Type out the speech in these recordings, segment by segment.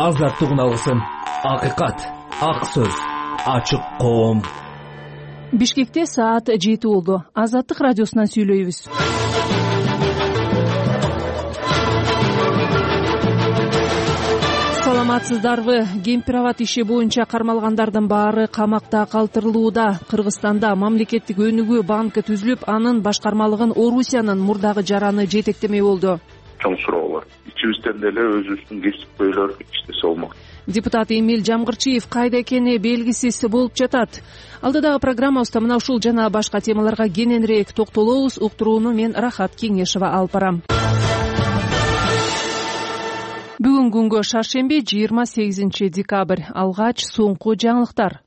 азаттык үналгысын, акыйкат, ак сөз, ачык коом. Бишкекте саат 7 болду. Азаттык радиосунан сүйлөйбүз. Саламатсыздарбы? Кемпир-абад иши боюнча кармалгандардын баары камакта калтырылууда. Кыргызстанда мамлекеттик өнүгүү банкы түзүлүп, анын башкармалыгын Орусиянын мурдагы жараны жетектемек болду. Чоң суроолор. Ичибизден деле өзүбүздүн кесипкөйлөр иштесе болмок. Депутат Эмил Жамгырчиев кайда экени белгисиз болуп жатат. Алдыдагы программабызда мына ушул жана башка темаларга кененирээк токтолобуз. Уктурууну мен Рахат Кеңешова алып барам. Бүгүн күнгө шаршемби 28 декабрь. Алгач соңку жаңылыктар.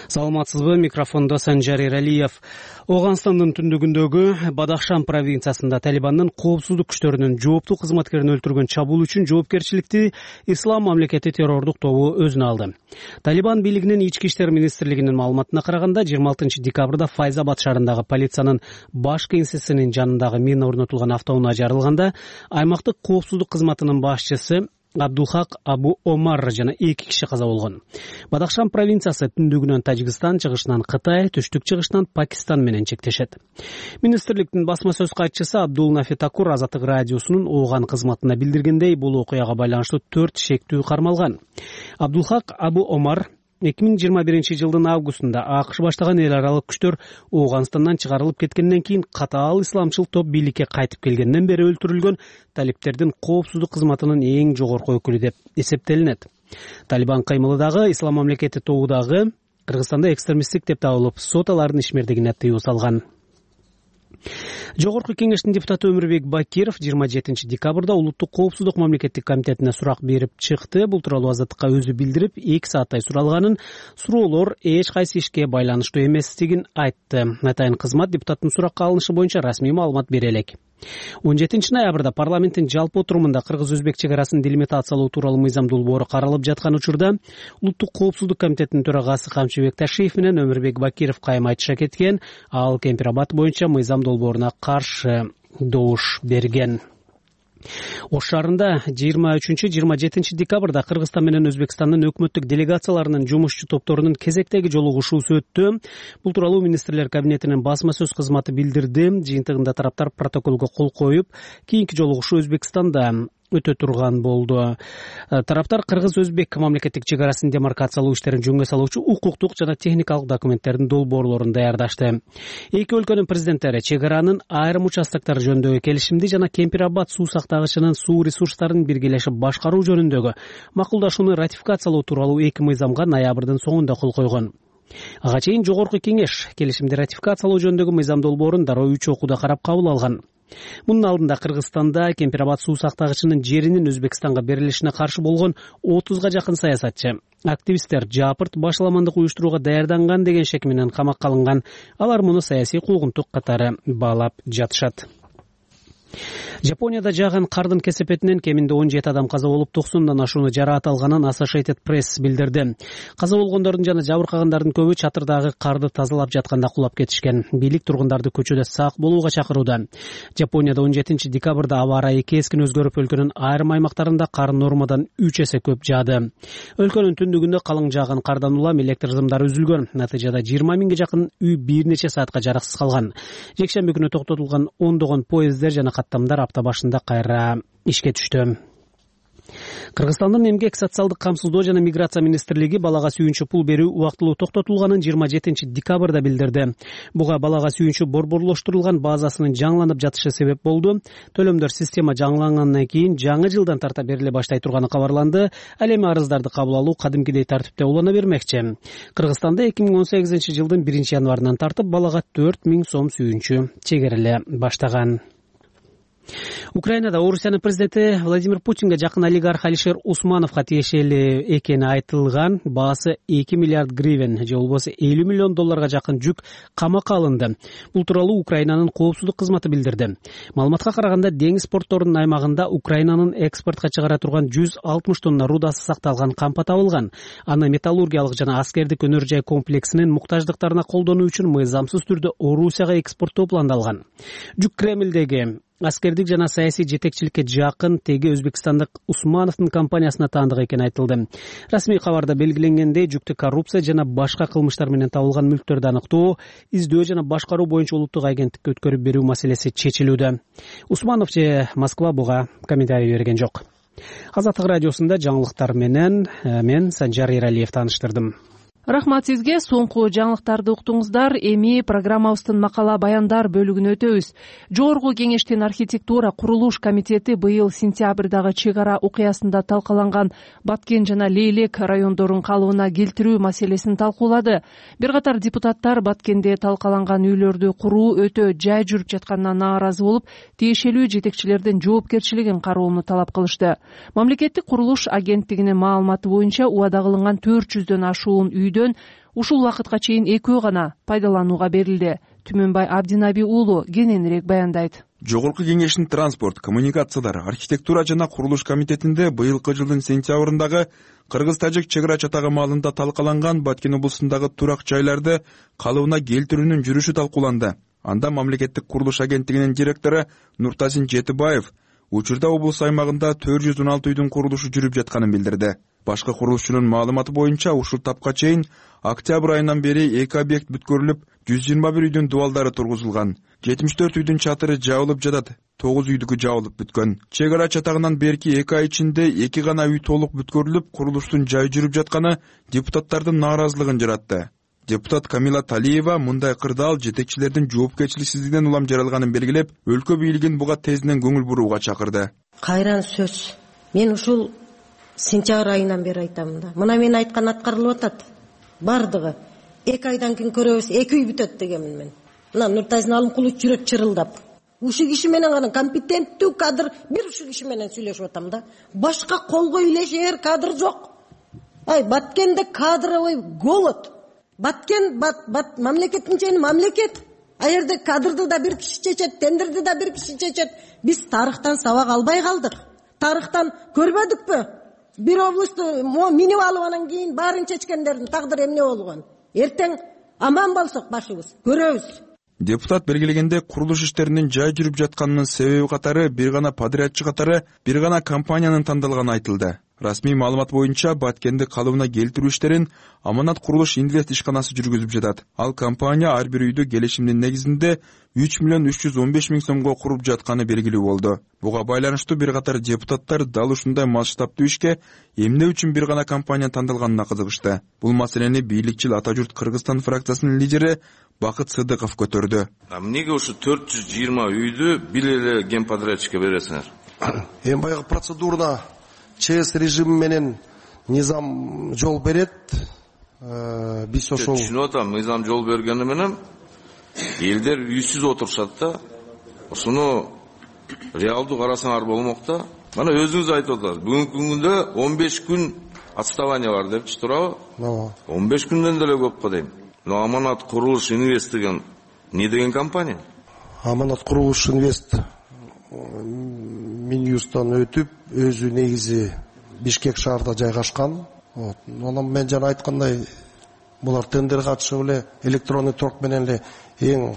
Саламатсызбы, микрофондо Санжар Эралиев. Ооганстандын түндүгүндөгү Бадахшан провинциясында Талибандын коопсуздук күчтөрүнүн жооптуу кызматкерин өлтүргөн чабуул үчүн жоопкерчиликти Ислам мамлекети террордук тобу өзүнө алды. Талибан бийлигинин ички иштер министрлигинин маалыматына караганда 26 декабрда Файзабад шаарындагы полициянын баш кеңсесинин жанындагы мина орнотулган автоунаа жарылганда аймактык коопсуздук кызматынын башчысы Абдулхак Абу Омар жана 2 киши каза болгон. Бадахшан провинциясы түндүгүнөн Тажикстан, чыгышынан Кытай, түштүк-чыгышынан Пакистан менен чектешет. Министрликтин басма сөз катчысы Абдул Нафи Такур Азаттык радиосунун Ооган кызматына билдиргендей, бул окуяга байланыштуу 4 шектүү кармалган. Абдулхак Абу Омар 2021 жылдын августунда АКШ баштаган эл аралык күчтөр Ооганстандан чыгарылып кеткенден кийин катаал исламчыл топ бийликке кайтып келгенден бери өлтүрүлгөн талиптердин коопсуздук кызматынын эң жогорку өкүлү деп эсептелинет. Талибан каймылы дагы Ислам мамлекети тобудагы Кыргызстанда экстремисттик деп табылып, сот алардын ишмердигине тыюу салган. Жогорку кеңештин депутаты Өмүрбек Бакиров 27 декабрда улуттук коопсуздук мамлекеттик комитетине сурак берип чыкты. Бул тууралуу Азаттыкка өзү билдирип, 2 сааттай суралганын, суроолор эч кайсы ишке байланыштуу эместигин айтты. Атайын кызмат депутаттын суракка алынышы боюнча расмий маалымат бере элек. 17 ноябрда парламенттин жалпы отурумунда кыргыз-өзбек чек арасын делимитациялоо тууралуу мыйзам долбоору каралып жаткан учурда улуттук коопсуздук комитетинин төрагасы Камчыбек Ташиев менен Өмүрбек Бакиров кайым айтыша кеткен. Ал Кемпир-Абад боюнча мыйзам долбооруна каршы добуш берген. Ош шаарында 23-27 декабрда Кыргызстан менен Өзбекстандын өкмөттүк делегацияларынын жумушчу топторунун кезектеги жолугушуусу өттү. Бул тууралуу министрлер кабинетинин басма сөз кызматы билдирди. Жыйынтыгында тараптар протоколго кол коюп, кийинки жолугушуу Өзбекстанда өтө турган болду. Тараптар Кыргыз-Өзбек мамлекеттик чек арасын демаркациялоо иштерин жөнгө салуучу укуктук жана техникалык документтердин долбоорлорун даярдашты. Эки өлкөнүн президенттери чек аранын айрым участоктору жөнүндөгү келишимди жана Кемпир-Абад суу сактагычынын суу ресурстарын биргелешип башкаруу жөнүндөгү макулдашууну ратификациялоо тууралуу 2 мыйзамга ноябрдын соңунда кол койгон. Ага чейин жогорку кеңеш келишимди ратификациялоо жөнүндөгү мыйзам долбоорун дароо 3 окууда карап кабыл алган. Мунун алдында Кыргызстанда Кемпир-Абад суу сактагычынын жеринин Өзбекстанга берилишине каршы болгон 30га жакын саясатчы, активисттер жапырт башаламандык уюштурууга даярданган деген шек менен камакка алынган. Алар муну саясий куугунтук катары баалап жатышат. Жапонияда жааган кардын кесепетинен кеминде 17 адам каза болуп, 90дан ашууну жараат алганын Associated Press билдирди. Каза болгондордун жана жабыркагандардын көбү чатырдагы карды тазалап жатканда кулап кетишкен. Бийлик тургундарды көчөдө сак болууга чакырууда. Жапонияда 17 декабрда аба ырайы кескин өзгөрүп, өлкөнүн айрым аймактарында кар нормадан 3 эсе көп жаады. Өлкөнүн түндүгүндө калың жааган кардан улам электр сымдары үзүлгөн. Натыйжада 20 миңге жакын үй бир нече саатка жараксыз калган. Жекшемби күнү токтотулган ондогон поезддер жана каттамдар апта башында кайра ишке түштү. Кыргызстандын эмгек, социалдык камсыздоо жана миграция министрлиги балага сүйүнчү пул берүү убактылуу токтотулганын 27 декабрда билдирди. Буга балага сүйүнчү борборлоштурулган базасынын жаңыланып жатышы себеп болду. Төлөмдөр система жаңылангандан кийин жаңы жылдан тарта бериле баштай турганы кабарланды. Ал эми арыздарды кабыл алуу кадимкидей тартипте улана бермекчи. Кыргызстанда 2018 жылдын 1 январынан тартып балага 4000 сом сүйүнчү чегериле баштаган. Украинада Орусиянын президенти Владимир Путинге жакын олигарх Алишер Усмановго тиешелүү экени айтылган баасы 2 миллиард гривен же болбосо 50 миллион долларга жакын жүк камакка алынды. Бул тууралуу Украинанын коопсуздук кызматы билдирди. Маалыматка караганда, деңиз порторунун аймагында Украинанын экспортко чыгара турган 160 тонна рудасы сакталган кампа табылган. Аны металлургиялык жана аскердик өнөр жай комплексинин муктаждыктарына колдонуу үчүн мыйзамсыз түрдө Орусияга экспорттоо пландалган. Жүк Кремлдеги аскердик жана саясий жетекчиликке жакын теги өзбекстандык Усмановдун компаниясына таандык экени айтылды. Расмий кабарда белгиленгендей, жүктүү коррупция жана башка кылмыштар менен табылган мүлктөрдү аныктоо, издөө жана башкаруу боюнча улуттук агенттикке өткөрүп берүү маселеси чечилүүдө. Усманов же Москва буга комментарий берген жок. Азаттык радиосунда жаңылыктар менен мен Санжар Эралиев тааныштырдым. Рахмат сизге. Соңку жаңылыктарды уктуңуздар. Эми программабыздын макала баяндар бөлүгүнө өтөбүз. Жогорку кеңештин архитектура курулуш комитети быйыл сентябрдагы чек ара окуясында талкаланган Баткен жана Лейлек райондорун калыбына келтирүү маселесин талкуулады. Бир катар депутаттар Баткенде талкаланган үйлөрдү куруу өтө жай жүрүп жатканына нааразы болуп, тиешелүү жетекчилердин жоопкерчилигин кароону талап кылышты. Мамлекеттик курулуш агенттигинин маалыматы боюнча убада кылынган 400дөн ашуун үйдөн ушул убакытка чейин 2 гана пайдаланууга берилди. Түмөнбай Абдинаби уулу кененирээк баяндайт. Жогорку кеңештин транспорт, коммуникациялар, архитектура жана курулуш комитетинде быйылкы жылдын сентябрындагы Кыргыз-Тажик чек ара чатагы маалында талкаланган Баткен облусундагы турак жайларды калыбына келтирүүнүн жүрүшү талкууланды. Анда мамлекеттик курулуш агенттигинин директору Нуртазин Жетибаев учурда облус аймагында 416 үйдүн курулушу жүрүп жатканын билдирди. Башкы курулушчунун маалыматы боюнча ушул тапка чейин октябрь айынан бери 2 объект бүткөрүлүп, 121 үйдүн дубалдары тургузулган. 74 үйдүн чатыры жабылып жатат, 9 үйдүкү жабылып бүткөн. Чек ара чатагынан берки 2 ай ичинде 2 гана үй толук бүткөрүлүп, курулуштун жай жүрүп жатканы депутаттардын нааразылыгын жаратты. Депутат Камила Талиева мындай кырдаал жетекчилердин жоопкерчиликсиздигинен улам жаралганын белгилеп, өлкө бийлигин буга тезинен көңүл бурууга чакырды. Кайран сөз. Мен ушул сентябрь айынан бери айтамын да. Мына мен айткан аткарылып атат. Бардыгы 2 айдан кийин көрөбүз, 2 үй бүтөт дегенмин мен. Мына Нуртазин Алымкулович жүрөт чырылдап. Ушул киши менен гана компетенттүү кадр бир ушул киши менен сүйлөшүп атам да. Башка колго үйлешер кадр жок. Баткенде кадровый голод. Баткен мамлекеттин чейин мамлекет. Жерде кадрды да бир киши чечет, тендерди да бир киши чечет. Биз тарыхтан сабак албай калдык. Тарыхтан көрбөдүкпү? Бир облусту минип алып анан кийин баарын чечкендердин тагдыры эмне болгон? Эртең аман болсок башыбыз көрөбүз. Депутат белгилегенде курулуш иштеринин жай жүрүп жатканынын себеби катары бир гана подрядчы катары бир гана компаниянын тандалганы айтылды. Расмий маалымат боюнча Баткенди калыбына келтирүү иштерин Аманат курулуш инвест ишканасы жүргүзүп жатат. Ал компания ар бир үйдү келишимдин негизинде 3 миллион 315 миң сомго куруп жатканы белгилүү болду. Буга байланыштуу бир катар депутаттар дал ушундай масштабтуу ишке эмне үчүн бир гана компания тандалганына кызыгышты. Бул маселени бийликчил Ата журт Кыргызстан фракциясынын лидери Бакыт Сыдыков көтөрдү. Эмнеге ушу 420 үйдү бир эле генподрядчикке бересиңер? Эми баягы процедурда ЧС режими менен низам жол берет. Биз ошол түшүнүп атам, низам жол бергени менен элдер үйсүз отурушат да. Ошону реалдуу карасаңар болмок да. Мана өзүңүз айтып атасыз. Бүгүнкү күндө 15 күн отставание бар депчи, туурабы? 15 күндөн деле көп го дейм. Аманат курулуш инвест деген не деген компания? Аманат курулуш инвест Минюстан өтүп, өзү негизи Бишкек шаарда жайгашкан. Анан мен жана айткандай, булар тендер катышып эле электронный торг менен эле эң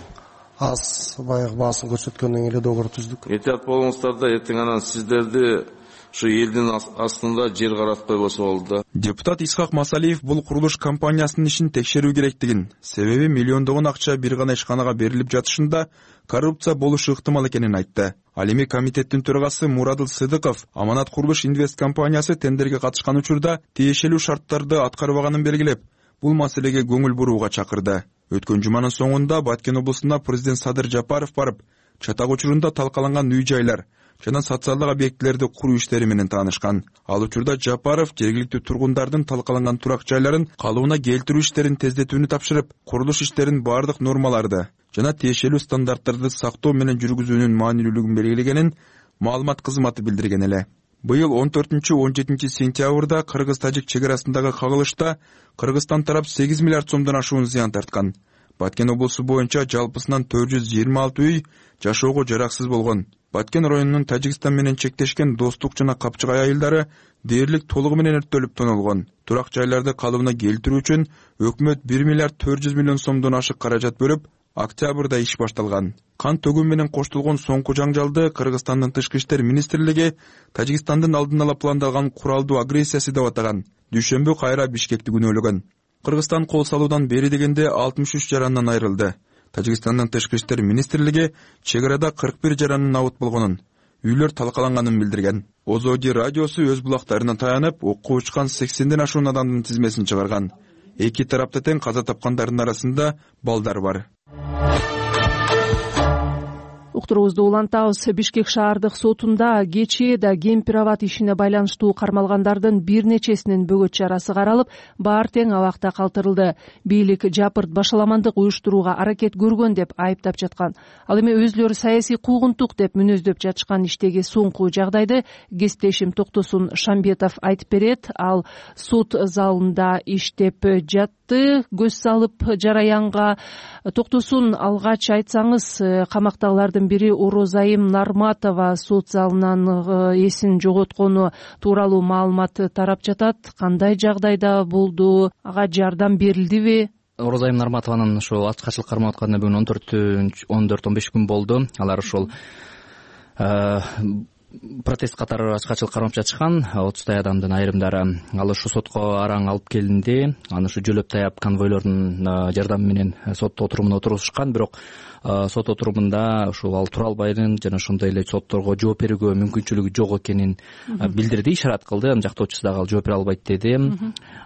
аз баягы баасын көрсөткөндөн эле договор түздүк. Этият болуңуздар да, эртең анан сиздерди ушу элдин астында жер каратпай болсо болду. Депутат Исхак Масалиев бул курулуш компаниясынын ишин текшерүү керектигин, себеби миллиондогон акча бир гана ишканага берилип жатышында коррупция болушу ыктымал экенин айтты. Ал эми комитеттин төрагасы Мурадыл Сыдыков Аманат курулуш инвест компаниясы тендерге катышкан учурда тиешелүү шарттарды аткарбаганын белгилеп, бул маселеге көңүл бурууга чакырды. Өткөн жуманын соңунда Баткен облусуна президент Садыр Жапаров барып, чатак учурунда талкаланган үй-жайлар жана социалдык объектилерди куруу иштери менен таанышкан. Ал учурда Жапаров жергиликтүү тургундардын талкаланган турак жайларын калыбына келтирүү иштерин тездетүүнү тапшырып, курулуш иштерин бардык нормаларды жана тиешелүү стандарттарды сактоо менен жүргүзүүнүн маанилүүлүгүн белгилегенин маалымат кызматы билдирген эле. Быйыл 14-17 сентябрда Кыргыз-Тажик чек арасындагы кагылышта Кыргызстан тарап 8 миллиард сомдон ашуун зыян тарткан. Баткен облусу боюнча жалпысынан 426 үй жашоого жараксыз болгон. Баткен районунун Тажикстан менен чектешкен Достук жана Капчыгай айылдары дээрлик толугу менен өрттөлүп тонолгон. Турак жайларды калыбына келтирүү үчүн өкмөт 1 миллиард 400 миллион сомдон ашык каражат бөлүп, октябрда иш башталган. Кан төгүү менен коштолгон соңку жаңжалды Кыргызстандын Тышкы иштер министрлиги Тажикстандын алдын ала пландалган куралдуу агрессиясы деп атаган. Дүйшөмбү кайра Бишкекти күнөөлөгөн. Кыргызстан кол салуудан бери дегенде 63 жарандан айрылды. Тажикстандын Тышкы иштер министрлиги чек арада 41 жаранын абут болгонун, үйлөр талкаланганын билдирген. Озоди радиосу өз булактарына таянып, окко учкан 80ден ашуун адамдын тизмесин чыгарган. Эки тарапта тең каза тапкандардын арасында балдар бар. Уктуруубузду улантабыз. Бишкек шаардык сотунда кечээ да Кемпир-Абад ишине байланыштуу кармалгандардын бир нечесинин бөгөт чарасы каралып, баары тең абакта калтырылды. Бийлик жапырт башаламандык уюштурууга аракет көргөн деп айыптап жаткан. Ал эми өзүлөрү саясий куугунтук деп мүнөздөп жатышкан иштеги соңку жагдайды кесиптешим Токтосун Шамбетов айтып берет. Ал сот залында иштеп жатты. Көз салып жараянга Токтосун алгач айтсаңыз, камактагылардын бири Орозайым Нарматова сот залынан эсин жоготкону тууралуу маалымат тарап жатат. Кандай жагдайда болду? Ага жардам берилдиби? Орозайым Нарматованын ошо ачкачылык кармап атканына бүгүн 14-15 күн болду. Алар ошол протест катары ачкачылык кармап жатышкан 30 адамдын айрымдары. Ал ушу сотко араң алып келинди. Аны ушу жөлөп таяп конвойлордун жардамы менен сот отурумуна отурушкан. Бирок сот отурумунда ушул ал тура албайдын жана ошондой эле сотторго жооп берүүгө мүмкүнчүлүгү жок экенин билдирди, ишарат кылды. Анын жактоочусу дагы ал жооп бере албайт деди.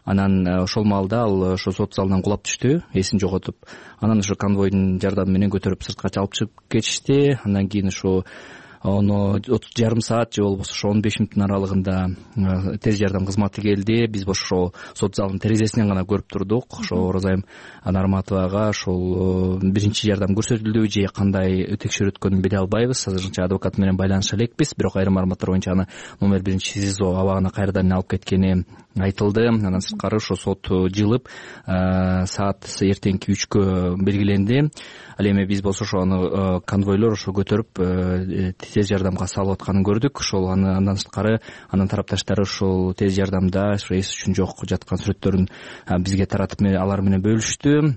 Анан ошол маалда ал ошо сот залынан кулап түштү, эсин жоготуп. Анан ошо конвойдун жардамы менен көтөрүп сыртка чалып чыгып кетишти. Андан кийин ошо жарым саат же болбосо ошо 15 мүнөттүн аралыгында тез жардам кызматы келди. Биз ошо сот залынын терезесинен гана көрүп турдук. Ошо Орозайым Нарматовага ошол биринчи жардам көрсөтүлдүбү же кандай текшерүү өткөнүн биле албайбыз. Азырынча адвокат менен байланыша элекпиз. Бирок айрым маалыматтар боюнча аны номер 1 СИЗО абагына кайрадан алып кеткени айтылды. Андан сырткары ошо сот жылып саат эртеңки 3кө белгиленди. Ал эми биз болсо ошону конвойлор ошо көтөрүп тез жардамга салып атканын көрдүк. Ошол андан сырткары анын тарапташтары ошол тез жардамда эс үчүн жок жаткан сүрөттөрүн бизге таратып алар менен бөлүштү.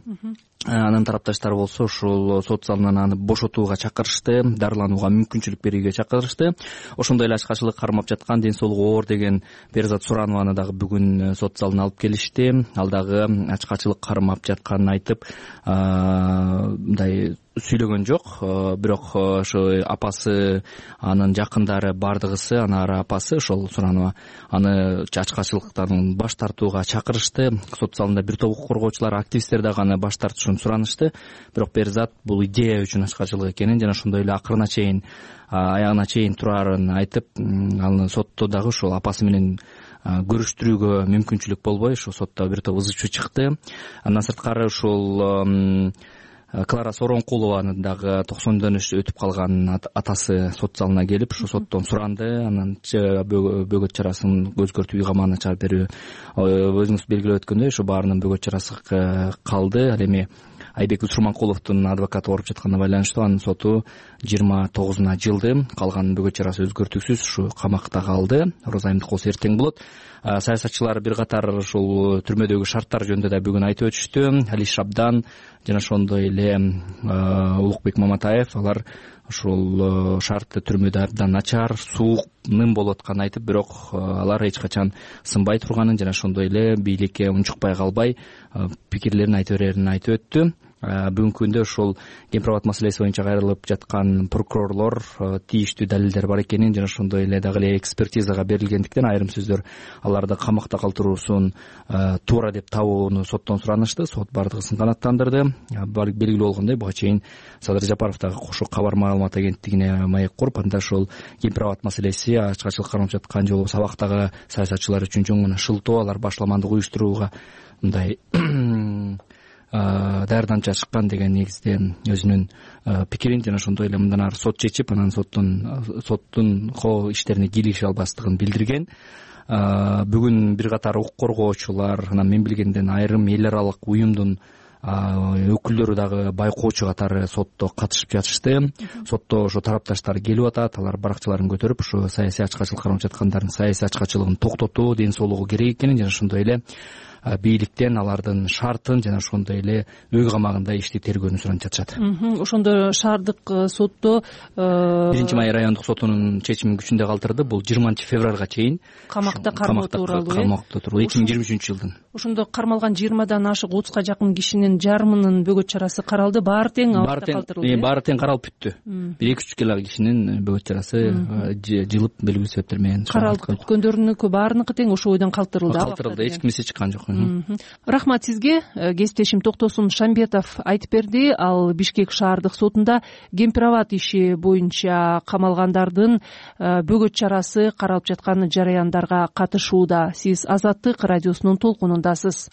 Анын тарапташтары болсо ушул сот залынан аны бошотууга чакырышты, дарыланууга мүмкүнчүлүк берүүгө чакырышты. Ошондой эле ачкачылык кармап жаткан, ден соолугу оор деген Берзат Суранованы дагы бүгүн сот залына алып келишти. Ал дагы ачкачылык кармап жатканын айтып, мындай сүйлөгөн жок. Бирок ошо апасы, анын жакындары бардыгысы, анары апасы ошол Суранова аны ачкачылыктан баш тартууга чакырышты. Сот залында бир топ укук коргоочулар, активисттер дагы аны баш тартышын суранышты. Бирок Берзат бул идея үчүн ачкачылык экенин жана ошондой эле акырына чейин, аягына чейин турарын айтып, аны сотто дагы ошол апасы менен көрүштүрүүгө мүмкүнчүлүк болбой, ошо сотто бир топ ызы чуу чыкты. Андан сырткары ушул Клара Соронкулованын дагы 90дөн өтүп калган атасы сот залына келип, ушу соттон суранды. Анан бөгөт чарасын өзгөртүп үй камагына чыгарып берүү, өзүңүз белгилеп өткөндөй, ошо баарынын бөгөт чарасы калды. Ал эми Айбек Усурманкуловдун адвокаты ооруп жатканына байланыштуу анын соту 29-на жылды. Калган бөгөт чарасы өзгөртүүсүз ушу камакта калды. Орозайымдык болсо эртең болот. Саясатчылар бир катар ушул түрмөдөгү шарттар жөнүндө да бүгүн айтып өтүштү. Али Шабдан жана ошондой эле Улукбек Маматаев алар ушул шарт түрмөдө абдан начар, суук, ным болуп атканын айтып, бирок алар эч качан сынбай турганын жана ошондой эле бийликке унчукпай калбай пикирлерин айта берерин айтып өттү. Бүгүнкү күндө ошол Кемпир-Абад маселеси боюнча кайрылып жаткан прокурорлор тийиштүү далилдер бар экенин жана ошондой эле дагы эле экспертизага берилгендиктен айрым сөздөр аларды камакта калтыруусун туура деп табууну соттон суранышты. Сот бардыгысын канааттандырды. Белгилүү болгондой, буга чейин Садыр Жапаров дагы кошо кабар маалымат агенттигине маек куруп, анда ошол Кемпир-Абад маселеси ачкачылык кармап жаткан же болбосо абактагы саясатчылар үчүн жөн гана шылтоо, алар башаламандык уюштурууга мындай даярданып жатышкан деген негизде өзүнүн пикирин жана ошондой эле мындан ары сот чечип, анан соттун иштерине кийлигише албастыгын билдирген. Бүгүн бир катар укук коргоочулар, анан мен билгенден айрым эл аралык уюмдун өкүлдөрү дагы байкоочу катары сотто катышып жатышты. Сотто ошо тарапташтар келип атат, алар баракчаларын көтөрүп, ошо саясий ачкачылык кармап жаткандардын саясий ачкачылыгын токтотуу, ден соолугу керек экенин жана ошондой эле бийликтен алардын шартын жана ошондой эле үй камагында ишти тергөөнү суранып жатышат. Ошондо шаардык сотто 1-Май райондук сотунун чечимин күчүндө калтырды. Бул 20-февралга чейин камакта кармоо тууралуу 2023-жылдын. Ошондо кармалган 20дан ашык 30га жакын кишинин жарымынын бөгөт чарасы каралды. Баары тең абакта калтырылды. Баары тең каралып бүттү. 1-2 кишинин бөгөт чарасы жылып белгилүү себептер менен каралып бүткөндөрүнүкү баарыныкы тең ошол бойдон калтырылды. Эч кимиси чыккан жок. Рахмат сизге. Кесиптешим Токтосун Шамбетов айтып берди. Ал Бишкек шаардык сотунда кемпир-абад иши боюнча камалгандардын бөгөт чарасы каралып жаткан жараяндарга катышууда. Сиз Азаттык радиосунун толкунундасыз.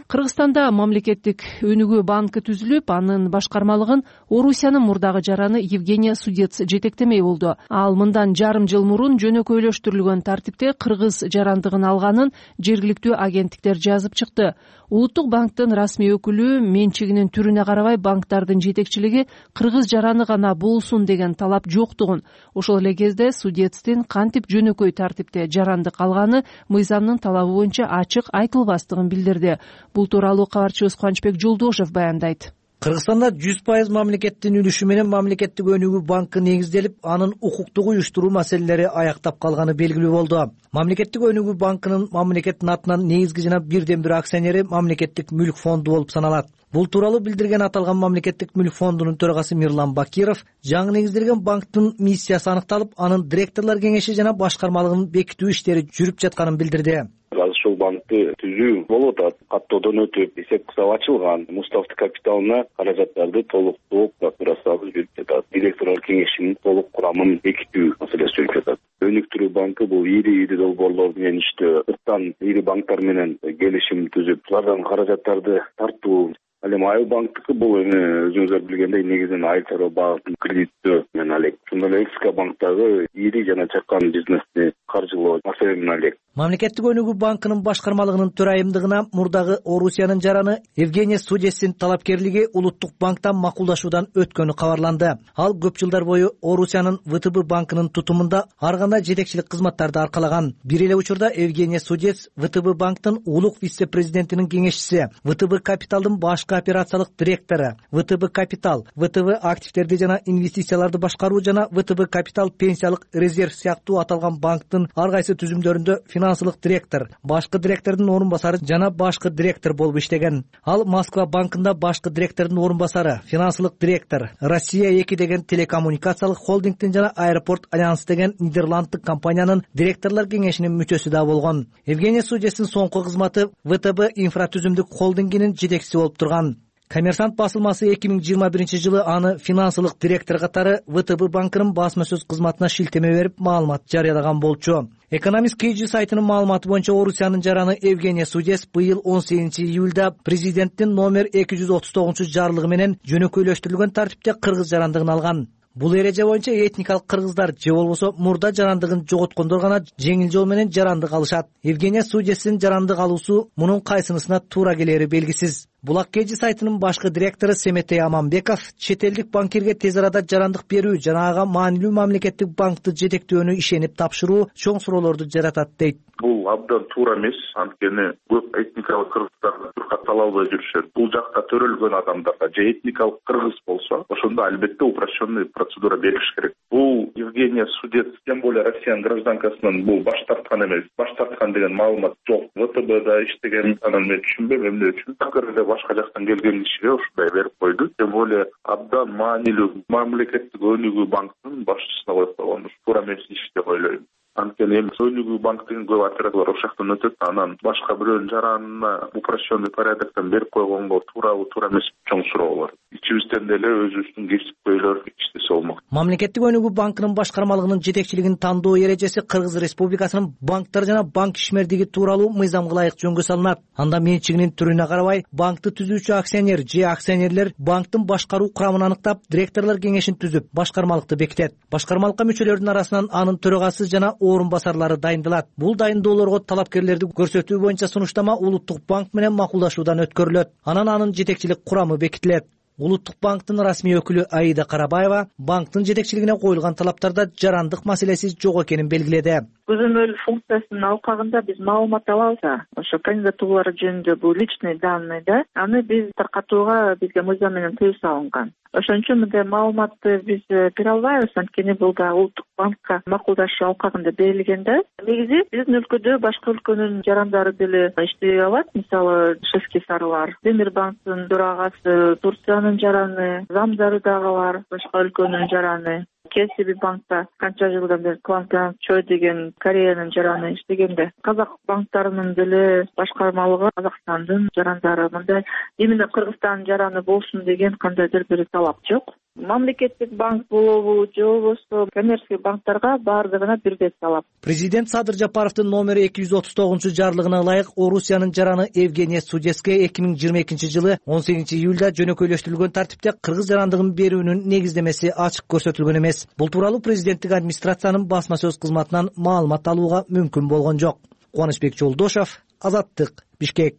Кыргызстанда мамлекеттик өнүгүү банкы түзүлүп, анын башкармалыгын Орусиянын мурдагы жараны Евгения Судец жетектемей болду. Ал мындан жарым жыл мурун жөнөкөйлөштүрүлгөн тартипте кыргыз жарандыгын алганын жергиликтүү агенттиктер жазып чыкты. Улуттук банктын расмий өкүлү менчигинин түрүнө карабай банктардын жетекчилиги кыргыз жараны гана болсун деген талап жоктугун, ошол эле кезде Судецтин кантип жөнөкөй тартипте жарандык алганы мыйзамдын талабы боюнча ачык айтылбастыгын билдирди. Бул тууралуу кабарчыбыз Кубанычбек Жолдошев баяндайт. Кыргызстанда 100% мамлекеттин үлүшү менен мамлекеттик өнүгүү банкы негизделип, анын укуктук уюштуруу маселелери аяктап калганы белгилүү болду. Мамлекеттик өнүгүү банкынын мамлекеттин атынан негизги жана бирден бир акционери мамлекеттик мүлк фонду болуп саналат. Бул тууралуу билдирген аталган мамлекеттик мүлк фондунун төрагасы Мирлан Бакиров жаңы негизделген банктын миссиясы аныкталып, анын директорлор кеңеши жана башкармалыгын бекитүү иштери жүрүп жатканын билдирди. Ушул банкты түзүү болуп атат. Каттоодон өтүп, эсеп кысабы ачылган, муставты капиталына каражаттарды толуктоо процедурасы жүрүп жатат. Директорлор кеңешинин толук курамын бекитүү маселеси жүрүп жатат. Өнүктүрүү банкы бул ири долбоорлор менен иштөө, ырттан ири банктар менен келишим түзүп, алардан каражаттарды тартуу. Ал эми Айыл банктыкы бул өзүңүздөр билгендей негизинен айыл чарба багытын кредиттөө менен алек. Ошондой эле СК банктагы ири жана чакан бизнести каржылоо маселе менен алек. Мамлекеттик өнүгүү банкынын башкармалыгынын төрайымдыгына мурдагы Орусиянын жараны Евгения Судецтин талапкерлиги Улуттук банктан макулдашуудан өткөнү кабарланды. Ал көп жылдар бою Орусиянын ВТБ банкынын тутумунда ар кандай жетекчилик кызматтарды аркалаган. Бир эле учурда Евгения Судец ВТБ банктын улук вице-президентинин кеңешчиси, ВТБ капиталдын башкы операциялык директору, ВТБ капитал, ВТБ активдерди жана инвестицияларды башкаруу жана ВТБ капитал пенсиялык резерв сыяктуу аталган банктын ар кайсы түзүмдөрүндө финансылык директор, башкы директордун орун басары жана башкы директор болуп иштеген. Ал Москва банкында башкы директордун орун басары, финансылык директор, Россия 2 деген телекоммуникациялык холдингдин жана Аэропорт Альянс деген нидерланддык компаниянын директорлор кеңешинин мүчөсү да болгон. Евгения Судецтин соңку кызматы ВТБ инфратүзүмдүк холдингинин жетекчиси болуп турган. Коммерсант басылмасы 2021 жылы аны финансылык директор катары ВТБ банкынын басма сөз кызматына шилтеме берип маалымат жарыялаган болчу. Экономист KG сайтынын маалыматы боюнча Орусиянын жараны Евгения Судец быйыл 18 июлда президенттин номер 239 жарлыгы менен жөнөкөйлөштүрүлгөн тартипте кыргыз жарандыгын алган. Бул эреже боюнча этникалык кыргыздар же болбосо мурда жарандыгын жоготкондор гана жеңил жол менен жарандык алышат. Евгения Судецтин жарандык алуусу мунун кайсынысына туура келери белгисиз. Булак KG сайтынын башкы директору Семетей Аманбеков чет элдик банкирге тез арада жарандык берүү жана ага маанилүү мамлекеттик банкты жетектөөнү ишенип тапшыруу чоң суроолорду жаратат дейт. Бул абдан туура эмес, анткени көп этникалык кыргыздар туркат ала албай жүрүшөт. Бул жакта төрөлгөн адамдарга же этникалык кыргыз болсо, ошондо албетте упрощенный процедура бериш керек. Бул Евгения Судец, тем более Россиянын гражданкасынан бул баш тарткан эмес. Баш тарткан деген маалымат жок. ВТБда иштеген анан мен түшүнбөйм эмне үчүн. Такыр эле башка жактан келген кишиге ушундай берип койду. Тем более абдан маанилүү мамлекеттик өнүгүү банкынын башчысына коюп койгон. Туура эмес иш деп ойлойм. Анткени эми өнүгүү банк деген көп операторлор ошол жактан өтөт, анан башка бирөөнүн жаранына упрощенный порядоктон берип койгонго туурабы туура эмес чоң суроо бар. Ичибизден деле өзүбүздүн кесипкөйлөр иштесе болмок. Мамлекеттик өнүгүү банкынын башкармалыгынын жетекчилигин тандоо эрежеси Кыргыз Республикасынын банктар жана банк ишмердиги тууралуу мыйзамга ылайык жөнгө салынат. Анда менчигинин түрүнө карабай банкты түзүүчү акционер же акционерлер банктын башкаруу курамын аныктап, директорлор кеңешин түзүп, башкармалыкты бекитет. Башкармалыкка мүчөлөрдүн арасынан анын төрагасы жана орун басарлары дайындалат. Бул дайындоолорго талапкерлерди көрсөтүү боюнча сунуштама Улуттук банк менен макулдашуудан өткөрүлөт. Анан анын жетекчилик курамы бекитилет. Улуттук банктын расмий өкүлү Аида Карабаева банктын жетекчилигине коюлган талаптарда жарандык маселеси жок экенин белгиледи. көзөмөл функциясынын алкагында биз маалымат алабыз. Ошо кандидатуралар жөнүндө бул личный данные да, аны биз таркатууга бизге мыйзам менен тыюу салынган. Ошон үчүн мындай маалыматты биз бере албайбыз, анткени бул да улуттук банкка макулдашу алкагында берилген да. Негизи биздин өлкөдө башка өлкөнүн жарандары деле иштей алат. Мисалы, Шевский Сарлар, Темир банктын төрагасы, Турциянын жараны, замдары дагы бар, башка өлкөнүн жараны. KCB банкта канча жылдан бери Квант Чой деген Кореянын жараны иштегенде, казак банктарынын деле башкармалыгы Казакстандын жарандары, мындай именно Кыргызстандын жараны болсун деген кандайдыр бир талап жок. Мамлекеттик банк болобу же болбосо коммерческий банктарга баардыгына бирдей талап. Президент Садыр Жапаровдун номери 239 жарлыгына ылайык Орусиянын жараны Евгения Судецкая 2022 жылы 18 июлда жөнөкөйлөштүрүлгөн тартипте кыргыз жарандыгын берүүнүн негиздемеси ачык көрсөтүлгөн эмес. Бул тууралуу президенттик администрациянын басма сөз кызматынан маалымат алууга мүмкүн болгон жок. Кубанычбек Жолдошов, Азаттык, Бишкек.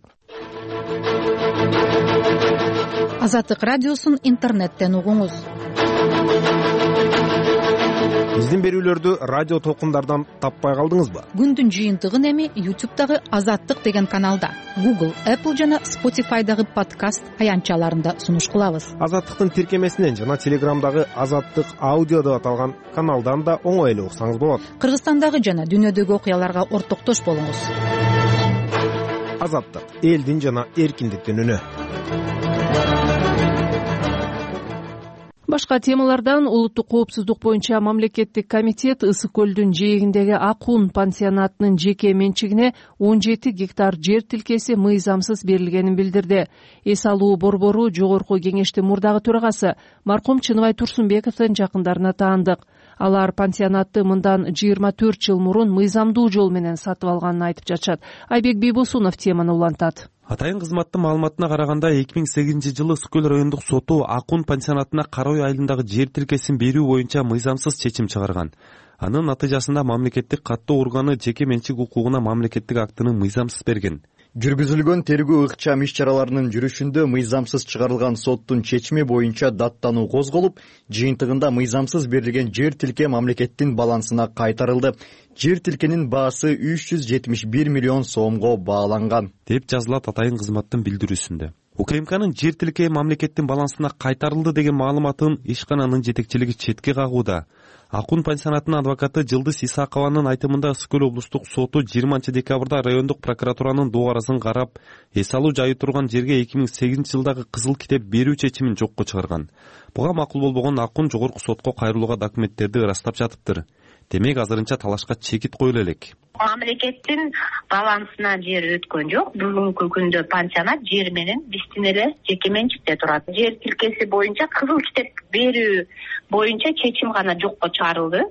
Азаттык радиосун интернеттен угуңуз. Биздин берүүлөрдү радио толкундардан таппай калдыңызбы? Күндүн жыйынтыгын эми YouTube'дагы Азаттык деген каналда, Google, Apple жана Spotify'дагы подкаст аянтчаларында сунуш кылабыз. Азаттыктын тиркемесинен жана Телеграмдагы Азаттык аудио деп аталган каналдан да оңой эле уксаңыз болот. Кыргызстандагы жана дүйнөдөгү окуяларга ортоктош болуңуз. Азаттык — элдин жана эркиндиктин үнү. Башка темалардан улуттук коопсуздук боюнча мамлекеттик комитет Ысык көлдүн жээгиндеги Акун пансионатынын жеке менчигине 17 гектар жер тилкеси мыйзамсыз берилгенин билдирди. Эс алуу борбору жогорку кеңештин мурдагы төрагасы маркум Чыныбай Турсунбековдун жакындарына таандык. Алар пансионатты мындан 24 жыл мурун мыйзамдуу жол менен сатып алганын айтып жатышат. Айбек Бийбосунов теманы улантат. Атайын кызматтын маалыматына караганда 2008 жылы Ысык көл райондук соту Акун пансионатына Кара Ой айылындагы жер тилкесин берүү боюнча мыйзамсыз чечим чыгарган. Анын натыйжасында мамлекеттик каттоо органы жеке менчик укугуна мамлекеттик актыны мыйзамсыз берген. Жүргүзүлгөн тергөө ыкчам иш-чараларынын жүрүшүндө мыйзамсыз чыгарылган соттун чечими боюнча даттануу козголуп, жыйынтыгында мыйзамсыз берилген жер тилке мамлекеттин балансына кайтарылды. Жер тилкенин баасы 371 миллион сомго бааланган, деп жазылат атайын кызматтын билдирүүсүндө. УКМКнын жер тилке мамлекеттин балансына кайтарылды деген маалыматын ишкананын жетекчилиги четке кагууда. Акун пансионатынын адвокаты Жылдыз Исакованын айтымында Ысык көл облустук соту 20 декабрда райондук прокуратуранын дугарасын карап, эс алуу жайы турган жерге 2008 жылдагы кызыл китеп берүү чечимин жокко чыгарган. Буга макул болбогон Акун жогорку сотко кайрылууга документтерди ырастап жатыптыр. Демек азырынча талашка чекит коюла элек. Мамлекеттин балансына жер өткөн жок. Бүгүнкү күндө пансионат жер менен биздин эле жеке менчикте турат. Жер тилкеси боюнча кызыл китеп берүү боюнча чечим гана жокко чыгарылды.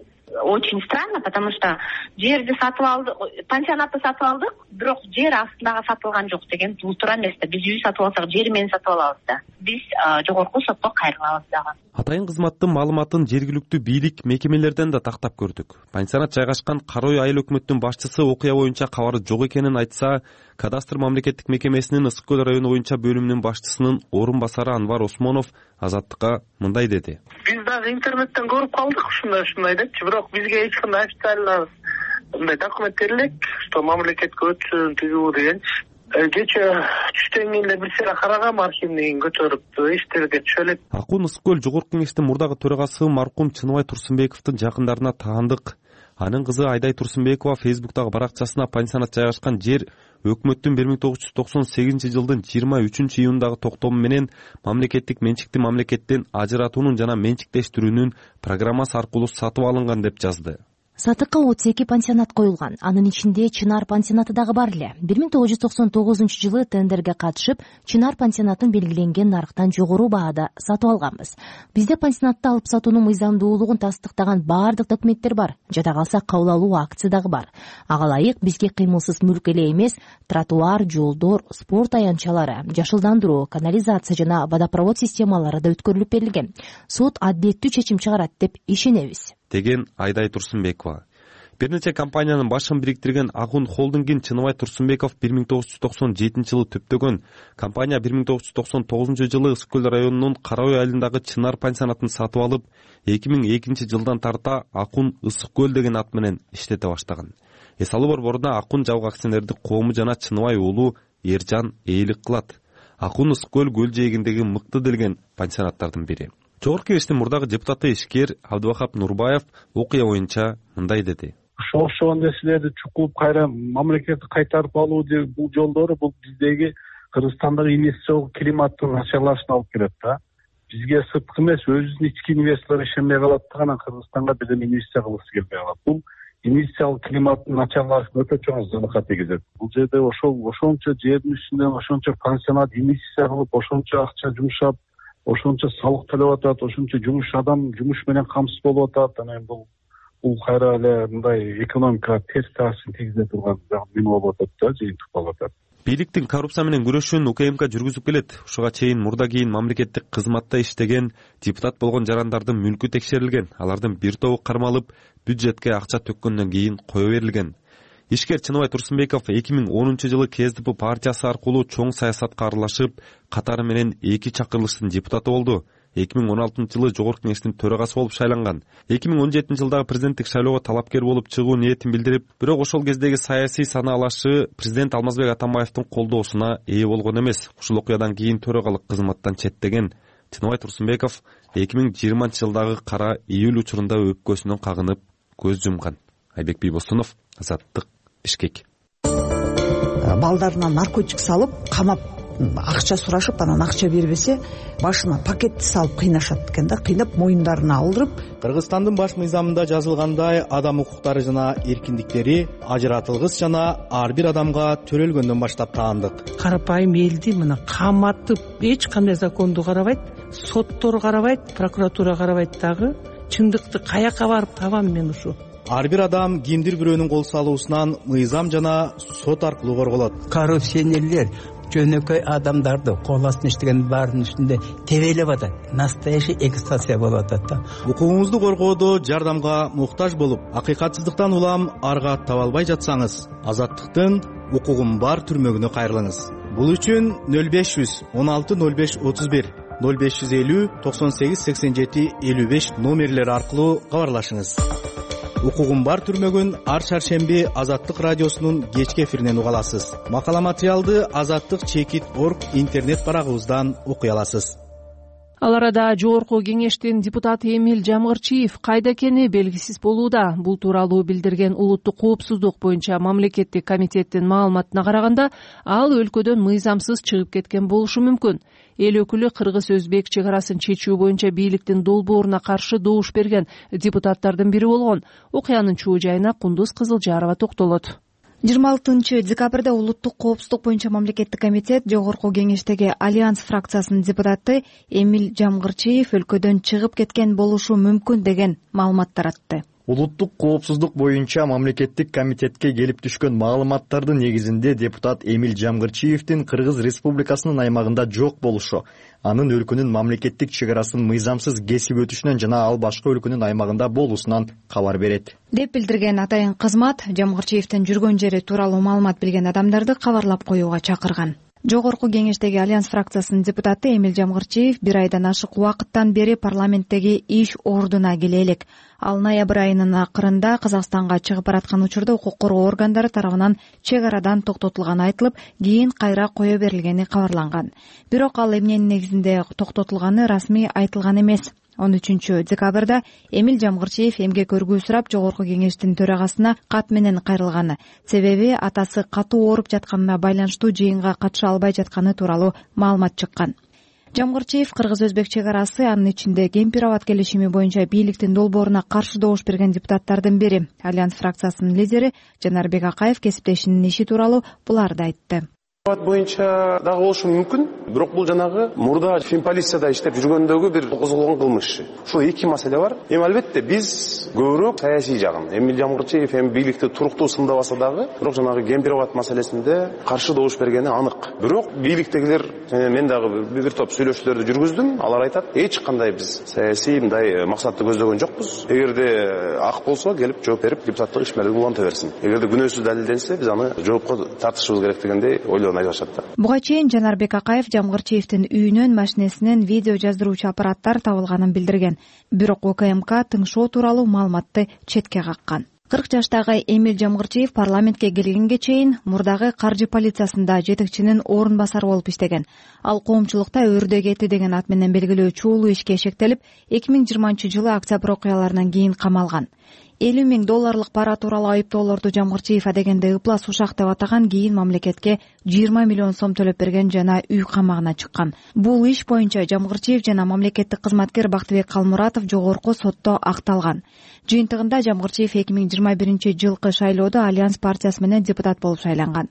Очень странно, потому что жерди сатып алдык, пансионатты сатып алдык, бирок жер астындагы сатылган жок деген бул туура эмес да. Биз үй сатып алсак жер менен сатып алабыз да. Биз жогорку сотко кайрылабыз дагы. Атайын кызматтын маалыматын жергиликтүү бийлик мекемелерден да тактап көрдүк. Пансионат жайгашкан Кара Ой айыл өкмөттүн башчысы окуя боюнча кабары жок экенин айтса, кадастр мамлекеттик мекемесинин Ысык көл району боюнча бөлүмүнүн башчысынын орун басары Анвар Осмонов Азаттыкка мындай деди. Биз дагы интернеттен көрүп калдык ушундай депчи, бирок бизге эч кандай официально мындай документ берилек, что мамлекетке өтсүн тигүү дегенчи. Кече түштөн кийин эле бир сыйра карагам, архивнигин көтөрүп иштерге түшө элек. Акун Ысык көл жогорку кеңештин мурдагы төрагасы маркум Чыныбай Турсунбековдун жакындарына таандык. Анын кызы Айдай Турсунбекова Фейсбуктагы баракчасына пансионат жайгашкан жер өкмөттүн 1998 жылдын 23 июндагы токтому менен мамлекеттик менчикти мамлекеттен ажыратуунун жана менчиктештирүүнүн программасы аркылуу сатып алынган деп жазды. Сатыкка 32 пансионат коюлган. Анын ичинде Чынар пансионаты дагы бар эле. 1999 жылы тендерге катышып, Чынар пансионатын белгиленген нарктан жогору баада сатып алганбыз. Бизде пансионатты алып сатуунун мыйзамдуулугун тастыктаган баардык документтер бар. Жада калса кабыл алуу акция дагы бар. Ага ылайык бизге кыймылсыз мүлк эле эмес, тротуар, жолдор, спорт аянтчалары, жашылдандыруу, канализация жана водопровод системалары да өткөрүлүп берилген. Сот адилеттүү чечим чыгарат деп ишенебиз, деген Айдай Турсунбекова. Бир нече компаниянын башын бириктирген Акун холдингин Чыныбай Турсунбеков 1997 жылы төптөгөн. Компания 1999 жылы Ысык көл районунун Кара Ой айылындагы Чынар пансионатын сатып алып, 2002 жылдан тарта Акун Ысык көл деген ат менен иштете баштаган. эс алуу борборуна Акун жабык акционердик коому жана Чыныбай уулу Эржан ээлик кылат. Акун Ысык көл көл жээгиндеги мыкты делген пансионаттардын бири. Жогорку кеңештин мурдагы депутаты ишкер Абдыбахап Нурбаев окуя боюнча мындай деди. Ошол нерселерди чукулуп кайра мамлекетти кайтарып алуу бул жолдору бул биздеги Кыргызстандагы инвестициялык климаттын начарлашына алып келет да. Бизге сырткы эмес, өзүбүздүн ички инвесторлор ишенбей калат да, анан Кыргызстанга бирден инвестиция кылгысы келбей калат. Бул инвестициялык климаттын начарлашына өтө чоң заракат тийгизет. Бул жерде ошончо жердин үстүнөн ошончо пансионат инвестиция кылып, ошончо акча жумшап, ошончо салык төлөп атат, ошончо жумуш менен камсыз болуп атат. Анан бул кайра эле мындай экономикага терс таасирин тийгизе турган неме болуп атат да, жыйынтык болуп атат. Бийликтин коррупция менен күрөшүүн УКМК жүргүзүп келет. Ушуга чейин мурда кийин мамлекеттик кызматта иштеген депутат болгон жарандардын мүлкү текшерилген. Алардын бир тобу кармалып, бюджетке акча төккөндөн кийин кое берилген. Ишкер Чыныбай Турсунбеков 2010-жылы КСДП партиясы аркылуу чоң саясатка аралашып, катары менен 2 чакырылыштын депутаты болду. 2016-жылы Жогорку кеңештин төрагасы болуп шайланган. 2017-жылдагы президенттик шайлоого талапкер болуп чыгуу ниетин билдирип, бирок ошол кездеги саясий санаалашы президент Алмазбек Атамбаевдин колдоосуна ээ болгон эмес. Ушул окуядан кийин төрагалык кызматтан четтеген Чыныбай Турсунбеков 2020-жылдагы кара июль учурунда өпкөсүнөн кагынып көз жумган. Айбек Бийбосунов, Азаттык, Бишкек. Балдарына наркотик салып, камап акча сурашып, анан акча бербесе, башына пакетти салып кыйнашат экен да, кыйнап моюндарына алдырып. Кыргызстандын баш мыйзамында жазылгандай, адам укуктары жана эркиндиктери ажыратылгыс жана ар бир адамга төрөлгөндөн баштап таандык. Карапайым элди мына каматып, эч кандай законду карабайт, соттор карабайт, прокуратура карабайт дагы. Чындыкты каяка барып табам мен ушу? Ар бир адам кимдир бирөөнүн кол салуусунан мыйзам жана сот аркылуу корголот. Коррупционерлер жөнөкөй адамдарды кол астында иштеген баарынын үстүндө тебелеп атат. Настоящий эксплуатация болуп атат да. Укугуңузду коргоодо жардамга муктаж болуп, акыйкатсыздыктан улам арга таба албай жатсаңыз, Азаттыктын укугум бар түрмөгүнө кайрылыңыз. Бул үчүн 0500 16 05 31 0550 98 87 55 номерлери аркылуу кабарлашыңыз. Укугум бар түрмөгүн ар шаршемби Азаттык радиосунун кечки эфиринен уга аласыз. Макала материалды azattik.org интернет барагыбыздан окуй аласыз. Ал арада Жогорку кеңештин депутаты Эмиль Жамгырчиев кайда экени белгисиз болууда. Бул тууралуу билдирген Улуттук коопсуздук боюнча мамлекеттик комитеттин маалыматына караганда, ал өлкөдөн мыйзамсыз чыгып кеткен болушу мүмкүн. Эл өкүлү кыргыз-өзбек чек арасын чечүү боюнча бийликтин долбооруна каршы добуш берген депутаттардын бири болгон. Окуянын чуу жайына Кундуз Кызылжарова токтолот. 26-декабрда Улуттук коопсуздук боюнча мамлекеттик комитет Жогорку кеңештеги Альянс фракциясынын депутаты Эмиль Жамгырчиев өлкөдөн чыгып кеткен болушу мүмкүн деген маалымат таратты. Улуттук коопсуздук боюнча мамлекеттик комитетке келип түшкөн маалыматтардын негизинде депутат Эмиль Жамгырчиевдин Кыргыз Республикасынын аймагында жок болушу, анын өлкөнүн мамлекеттик чек арасын мыйзамсыз кесип өтүшүнөн жана ал башка өлкөнүн аймагында болуусунан кабар берет деп билдирген атайын кызмат Жамгырчиевдин жүргөн жери тууралуу маалымат билген адамдарды кабарлап коюуга чакырган. Жогорку кеңештеги Альянс фракциясынын депутаты Эмиль Жамгырчиев 1 айдан ашык убакыттан бери парламенттеги иш ордуна келе элек. Ал ноябрь айынын акырында Казакстанга чыгып бараткан учурда укук коргоо органдары тарабынан чек арадан токтотулганы айтылып, кийин кайра кое берилгени кабарланган. Бирок ал эмненин негизинде токтотулганы расмий айтылган эмес. 13-декабрда Эмиль Жамгырчиев эмгек өргүү сурап Жогорку кеңештин төрагасына кат менен кайрылганы. Себеби атасы катуу ооруп жатканына байланыштуу жыйынга катыша албай жатканы тууралуу маалымат чыккан. Жамгырчиев кыргыз-өзбек чек арасы, анын ичинде Кемпир-Абад келишими боюнча бийликтин долбооруна каршы добуш берген депутаттардын бири. Альянс фракциясынын лидери Жанарбек Акаев кесиптешинин иши тууралуу буларды айтты. Боюнча дагы болушу мүмкүн, бирок бул жанагы мурда финполицияда иштеп жүргөндөгү бир козголгон кылмыш иши. Ушул эки маселе бар. Албетте биз көбүрөөк саясий жагын, Эмиль Жамгырчиев бийликти туруктуу сындабаса дагы, бирок жанагы Кемпир-Абад маселесинде каршы добуш бергени анык. Бирок бийликтегилер, мен дагы бир топ сүйлөшүүлөрдү жүргүздүм, алар айтат, эч кандай биз саясий мындай максатты көздөгөн жокпуз. Эгерде ак болсо келип жооп берип, депутаттык ишмердиги уланта берсин. Эгерде күнөөсүз далилденсе, биз аны жоопко тартышыбыз керек дегендей ойлорун айтышат. Буга чейин Жанарбек Акаев Жамгырчиевдин үйүнөн, машинесинен видео жаздыруучу аппараттар табылганын билдирген. Бирок УКМК тыңшоо тууралуу маалыматты четке каккан. 40 жаштагы Эмиль Жамгырчиев парламентке келгенге чейин мурдагы каржы полициясында жетекчинин орун басары болуп иштеген. Ал коомчулукта өрдө кети деген ат менен белгилүү чуулуу ишке шектелип, 2020-жылы октябрь окуяларынан кийин камалган. $50,000 пара тууралуу айыптоолорду Жамгырчиев адегенде ыплас ушак деп атаган, кийин мамлекетке 20 миллион сом төлөп берген жана үй камагына чыккан. Бул иш боюнча Жамгырчиев жана мамлекеттик кызматкер Бактыбек Калмуратов жогорку сотто акталган. Жыйынтыгында Жамгырчиев 2021-жылкы шайлоодо Альянс партиясы менен депутат болуп шайланган.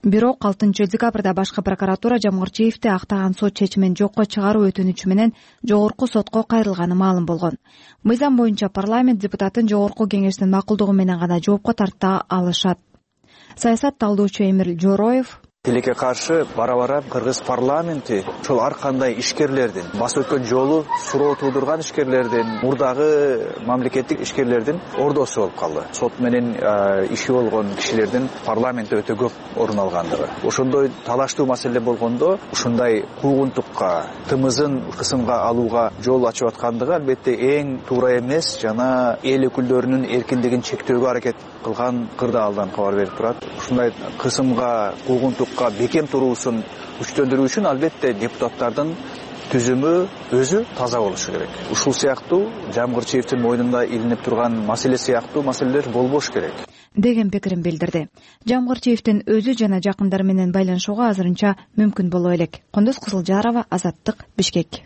Бирок 6-декабрда башкы прокуратура Жамгырчиевди актаган сот чечимин жокко чыгаруу өтүнүчү менен жогорку сотко кайрылганы маалым болгон. Мыйзам боюнча парламент депутатын жогорку кеңештин макулдугу менен гана жоопко тарта алышат. Саясат талдоочу Эмир Жороев: Тилекке каршы бара-бара кыргыз парламенти ошол ар кандай ишкерлердин, басып өткөн жолу суроо туудурган ишкерлердин, мурдагы мамлекеттик ишкерлердин ордосу болуп калды. Сот менен иши болгон кишилердин парламентте өтө көп орун алгандыгы. Ошондой талаштуу маселе болгондо ушундай куугунтукка, тымызын кысымга алууга жол ачып аткандыгы албетте эң туура эмес жана эл өкүлдөрүнүн эркиндигин чектөөгө аракет кылган кырдаалдан алдан кабар берип турат. Ушундай кысымга, куугунтукка бекем туруусун күчтөндүрүү үчүн албетте депутаттардын түзүмү өзү таза болушу керек. Ушул сыяктуу Жамгырчиевдин мойнунда илинип турган маселе сыяктуу маселелер болбош керек деген пикирин билдирди. Жамгырчиевдин өзү жана жакындары менен байланышууга азырынча мүмкүн боло элек. Кондос Кызылжарова, Азаттык, Бишкек.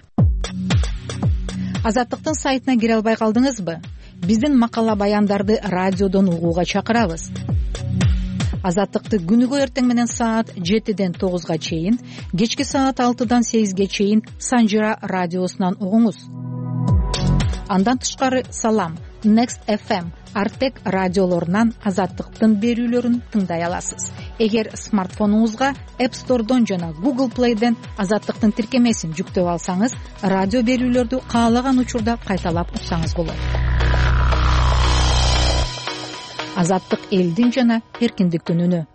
Азаттыктын сайтына кире албай калдыңызбы? Биздин макала баяндарды радиодон угууга чакырабыз. Азаттыкты күнүгө эртең менен саат 7-ден 9-га чейин, кечки саат 6-дан 8-ге чейин Санжира радиосунан угуңуз. Андан тышкары Салам, Next FM, Артек радиолорунан Азаттыктын берүүлөрүн тыңдай аласыз. Эгер смартфонуңузга App Store'дон жана Google Play'ден Азаттыктын тиркемесин жүктөп алсаңыз, радио берүүлөрдү каалаган учурда кайталап уксаңыз болот. Азаттык элдин жана эркиндиктин үнү.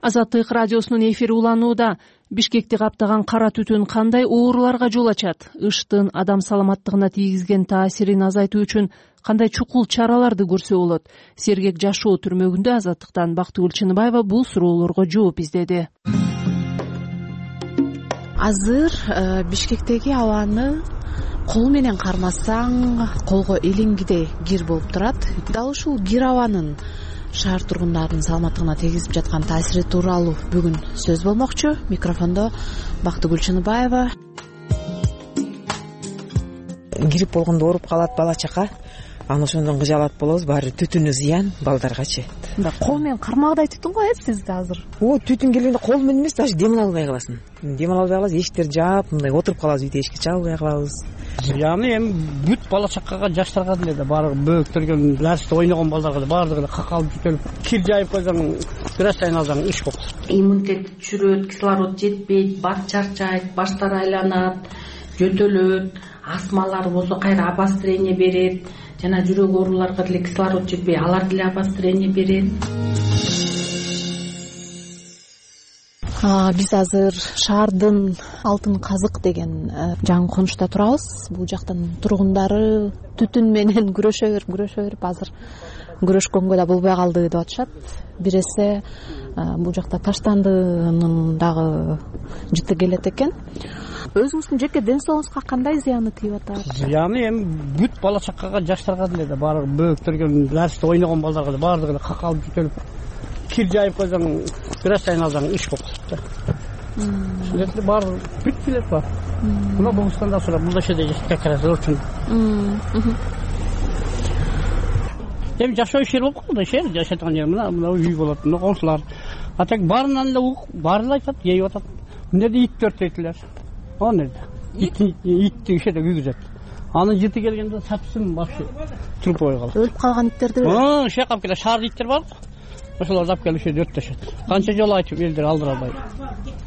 Азаттык радиосунун эфири уланууда. Бишкекти каптаган кара түтүн кандай ооруларга жол ачат? Ыштын адам саламаттыгына тийгизген таасирин азайтуу үчүн кандай чукул чараларды көрсө болот? Сергек жашоо түрмөгүндө Азаттыктан Бактыгүл Чыныбаева бул суроолорго жооп издеди. Азыр Бишкектеги абаны кол менен кармасаң колго илингидей кир болуп турат. Дал ушул кир абанын шаар тургундарынын саламаттыгына тийгизип жаткан таасири тууралуу бүгүн сөз болмокчу. Микрофондо Бактыгүл Чыныбаева. Грипп болгондо ооруп калат бала чака, анан ошондон кыжалат болобуз. Баары түтүнү зыян балдаргачы. Кол менен кармагыдай түтүн го сизде азыр. Түтүн келгенде кол менен эмес, даже дем ала албай каласың. Дем ала албай каласың, эшиктерди жаап, мындай отуруп калабыз, үйдө эшикти чаба албай калабыз. Яны эми бүт бала чакага, жаштарга деле баары бөөктөргөн, нәрсте ойногон балдарга да баардыгы какалып бүтөлүп, кир жайып койсоң, бир аз сайын алсаң иш болуп калат. Иммунитет чүрөт, кислород жетпейт, баш чарчайт, баштар айланат, жөтөлөт, астмалар болсо кайра обострение берет, жана жүрөк ооруларга деле кислород жетпей, алар деле обострение берет. Биз азыр шаардын Алтын Казык деген жаңы конушта турабыз. Бул жактын тургундары түтүн менен күрөшө берип азыр күрөшкөнгө да болбой калды деп атышат. Бир эсе бул жакта таштандынын дагы жыты келет экен. Өзүңүздүн жеке ден соолугуңузга кандай зыяны тийип атат? Зыяны эми бүт бала чакага, жаштарга деле да баары бөөктөргөн, нәрсте ойногон балдарга да баардыгы какалып бүтөлүп, кир жайып койсоң, бир аз сайын алсаң иш болуп калат. Ушундай баары бүт билет бар. Мына Богустанда сурап, бул жерде как раз очень. Эми жашоо жер болуп калды, шаар жашаткан жер мына үй болот, мына коңшулар. А так баарынан эле баары эле айтат, жейип атат. Мына жерде ит төртөйтүлөр. Аны итти ишеде күйгүзөт. Анын жыты келгенде сапсын башы трупой калат. Өлүп калган иттерди. Шакап келе шаар иттер бар. Ошолорду алып келип ушерде өрттөшөт. Канча жолу айтып элдер алдыра албай.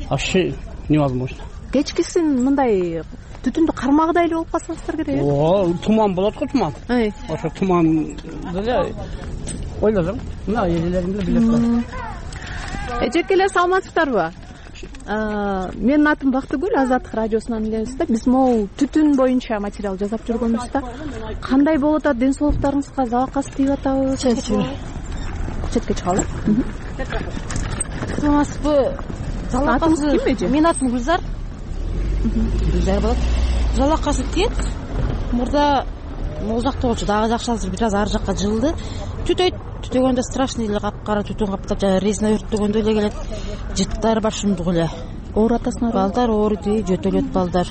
Вообще невозможно. Кечкисин мындай түтүндү кармагыдай эле болуп калсаңыздар керек. Туман болот го, туман. Ошо туман деле ойлосоң, мына элелериңде билет бар. Эжеке эле саламатсыздарбы? Менин атым Бактыгүл, Азаттык радиосунан элебиз да. Биз могу түтүн боюнча материал жасап жүргөнбүз да. Кандай болуп атат, ден соолуктарыңызга залакасы тийип атабы? четке чыгалы. Саламатсызбы? Атыңыз ким эже? Менин атым Гүлзар. Гүлзар болот. Жалакасы тиет. Мурда могул жакта болчу, дагы жакшы, азыр бир аз ары жакка жылды. Түтөйт. Түтөгөндө страшный эле капкара түтүн каптап, жана резина өрттөгөндө эле келет. Жыттар бар шумдук эле. Оорутасыңар? Балдар ооруйт, жөтөлөт балдар.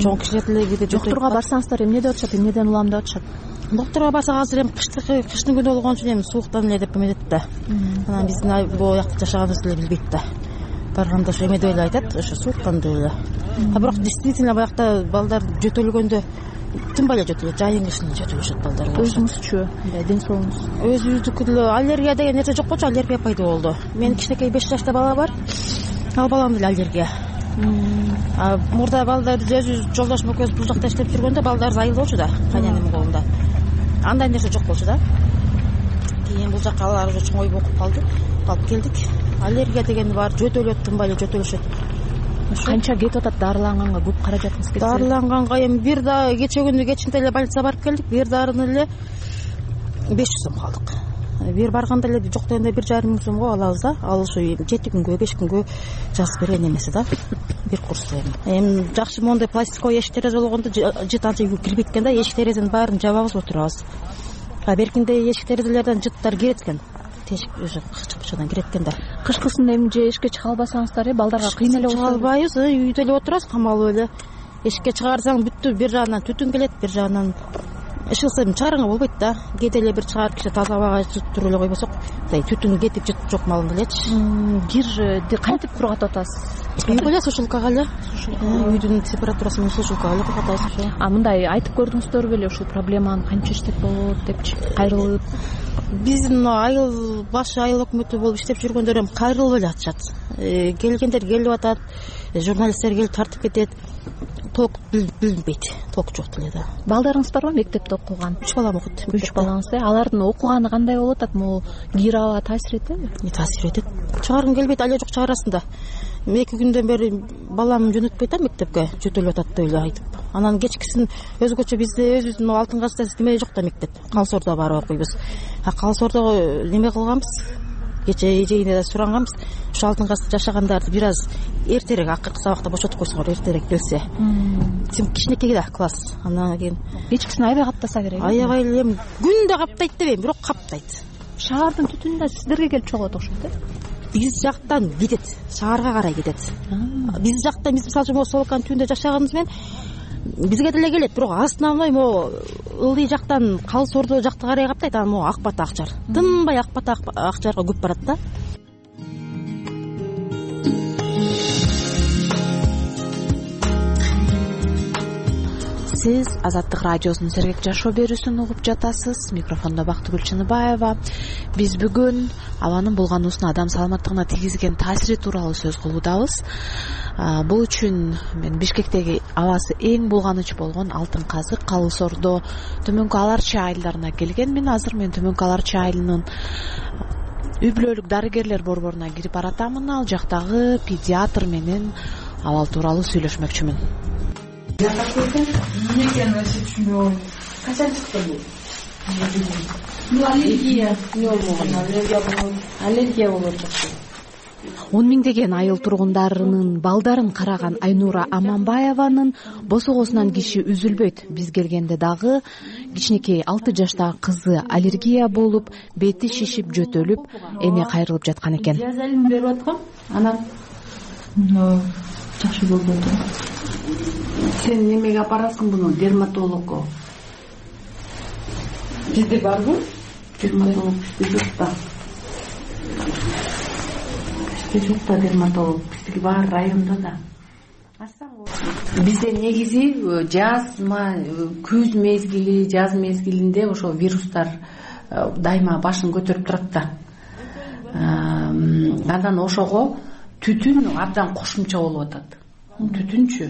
Чоң кишилер деле кээде жөтөлөт. Доктурга барсаңыздар эмне деп атышат, эмнеден улам деп атышат? Доктурга барсак азыр эми кыштын күнү болгон үчүн эми сууктан эле деп эметет да. Анан биздин бул жакта жашаганыбызды эле билбейт да. Барганда ошо эме деп эле айтат, ошо сууктан деп эле. А бирок действительно баягыда балдар жөтөлгөндө тынбай эле жөтөлөт, жайын кышын жөтөлүшөт балдар. Өзүңүзчү, ден соолугуңуз? Өзүбүздүкү деле аллергия деген нерсе жок болчу, аллергия пайда болду. Менин кичинекей 5 жашта бала бар. Ал баламда деле аллергия. Мурда балдар өзүбүз жолдошум экөөбүз бул жакта иштеп жүргөндө балдарыбыз айыл болчу да, кайненемдин колунда. Андай нерсе жок болчу да. Кийин бул жакка алар уже чоңоюп окуп калып келдик. Аллергия деген бар, жөтөлөт, тынбай эле жөтөлүшөт. Канча кетип атат дарыланганга, көп каражатыңыз кетти? Дарыланганга эми бир да кече күнү кечинде эле больницага барып келдик. Бир дарыны эле 500 сом калдык. Бир барганда эле жок дегенде 1,5 миң сомго алабыз да. Ал ошо 7 күнгө, 5 күнгө жазып берген эмеси да. Бир курсту эми жакшы моундай пластиковый эшик терезе болгондо жыт анча кирбейт экен да. Эшик терезенин баарын жабабыз, отурабыз. Беркинде эшик терезелерден жыттар кирет экен. Тешик уже кычкычадан кирет экен да. Кышкысын эми же эшикке чыга албасаңыздар, балдарга кыйын эле болот. Чыга албайбыз, үйдө эле отурабыз, камалып эле. Эшикке чыгарсаң бүттү, бир жагынан түтүн келет, бир жагынан ышылса эми чыгарганга болбойт да. Кээде эле бир чыгарып кичи таза абага туруп эле койбосок, мындай түтүн кетип жыт жок малында элечи. Кир кантип кургатып атасыз? Үйгө эле сушилкага эле. Үйдүн температурасын менен сушилкага эле кургатабыз ошо. Мындай айтып көрдүңүздөр беле ушул проблеманы канча иштеп болот депчи, кайрылып? Биздин айыл башы айыл өкмөтү болуп иштеп жүргөндөр эми кайрылып эле атышат. Келгендер келип атат, журналисттер келип тартып кетет. Толк билинбейт, толк жок деле да. Балдарыңыз барбы мектепте окуган? 3 балам окуйт. 3 балаңыз, алардын окуганы кандай болуп атат? Могу кир аба таасир этеби? Таасир этет. Чыгаргым келбейт, але жок чыгарасың да. 2 күндөн бери балам жөнөтпөйт да мектепке, жөтөлүп атат деп эле айтып. Анан кечкисин өзгөчө бизде өзүбүздүн Алтын Казда неме жок да мектеп. Калсордо барып окуйбуз. Калсордо неме кылганбыз? Кече эжейине да суранганбыз. Ошо Алтын Казда жашагандарды бир аз эртерээк акыркы сабакта бошотуп койсоңор, эртерээк келсе. Сен кичинекей да класс. Анан кийин кечкисин аябай каптаса керек. Аябай эле күндө каптайт дебейм, бирок каптайт. Шаардын түтүнү да сиздерге келип чогот окшойт, Биз жактан кетет, шаарга карай кетет. Биз жакта биз мисалы үчүн Солоканын түбүндө жашаганыбыз менен бизге деле келет, бирок основной могу ылдый жактан Калсордо жакта карай каптайт. Анан могу Акбата Акчар. Тынбай Акбата Акчарга көп барат да. Сиз Азаттык радиосунун Сергек жашоо берүүсүн угуп жатасыз. Микрофондо Бактыгүл Чыныбаева. Биз бүгүн абанын булгануусуна адам саламаттыгына тийгизген таасири тууралуу сөз кылуудабыз. Бул үчүн мен Бишкектеги абасы эң булганыч болгон Алтын Казык, Калсордо Төмөнкү Аларчы айылдарына келгенмин. Азыр мен Төмөнкү Аларчы айылынын үй бүлөлүк дарыгерлер борборуна кирип баратамын. Ал жактагы педиатр менен абал тууралуу сүйлөшмөкчүмүн. Эмне экенин вообще түшүнбөй койдум. Качан чыкты бул? Аллергия. Аллергия болот. 10 миңдеген айыл тургундарынын балдарын караган Айнура Аманбаеванын босогосунан киши үзүлбөйт. Биз келгенде дагы кичинекей 6 жаштагы кызы аллергия болуп, бети шишип, жөтөлүп, эне кайрылып жаткан экен. Диазелин берип аткам. Анан жакшы болду. Сен немеге апарасың буну? Дерматологко. Бизде барбы? Дерматолог бизде жок да. Бизде жок да дерматолог. Биздики бар районда да. Бизде негизи күз мезгили, жаз мезгилинде ошо вирустар дайыма башын көтөрүп турат да. Андан ошого түтүн абдан кошумча болуп атат. Түтүнчү.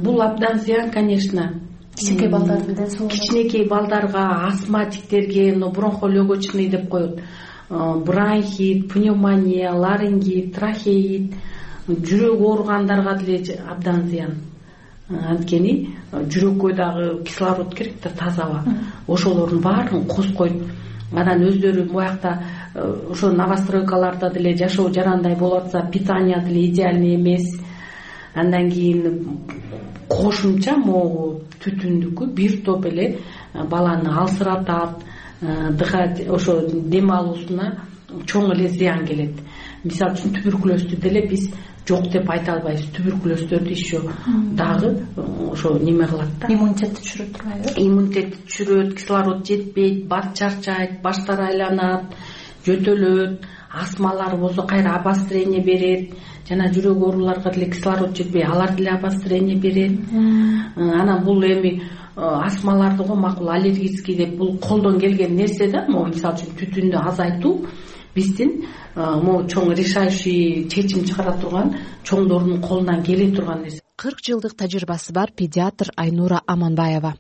Бул абдан зыян, конечно. Кичинекей балдарга, астматиктерге, бронхолегочный деп коет. Бронхит, пневмония, ларингит, трахеит, жүрөк ооругандарга деле абдан зыян. Анткени жүрөккө дагы кислород керек да, таза аба. Ошолордун баарын козгойт. анан өздөрү буякта ошо новостройкаларда деле жашоо жарандай болуп атса питание деле идеальный эмес. Андан кийин кошумча могу түтүндүкү бир топ эле баланы алсыратат, ошо дем алуусуна чоң эле зыян келет. Мисалы үчүн туберкулезду деле биз жок деп айта албайбыз. Туберкулездөрдү еще дагы ошо неме кылат да. Иммунитетти түшүрөт турбайбы? Иммунитетти түшүрөт, кислород жетпейт, баш чарчайт, баштары айланат, жөтөлөт, астмалар болсо кайра обострение берет. Жана жүрөк ооруларга деле кислород жетпей, алар деле обострение берет. Анан бул эми астмаларды го макул аллергический деп бул колдон келген нерсе да. Могу мисалы үчүн түтүндү азайтуу биздин могу чоң решающий чечим чыгара турган чоңдордун колунан келе турган нерсе. 40 жылдык тажрыйбасы бар педиатр Айнура Аманбаева.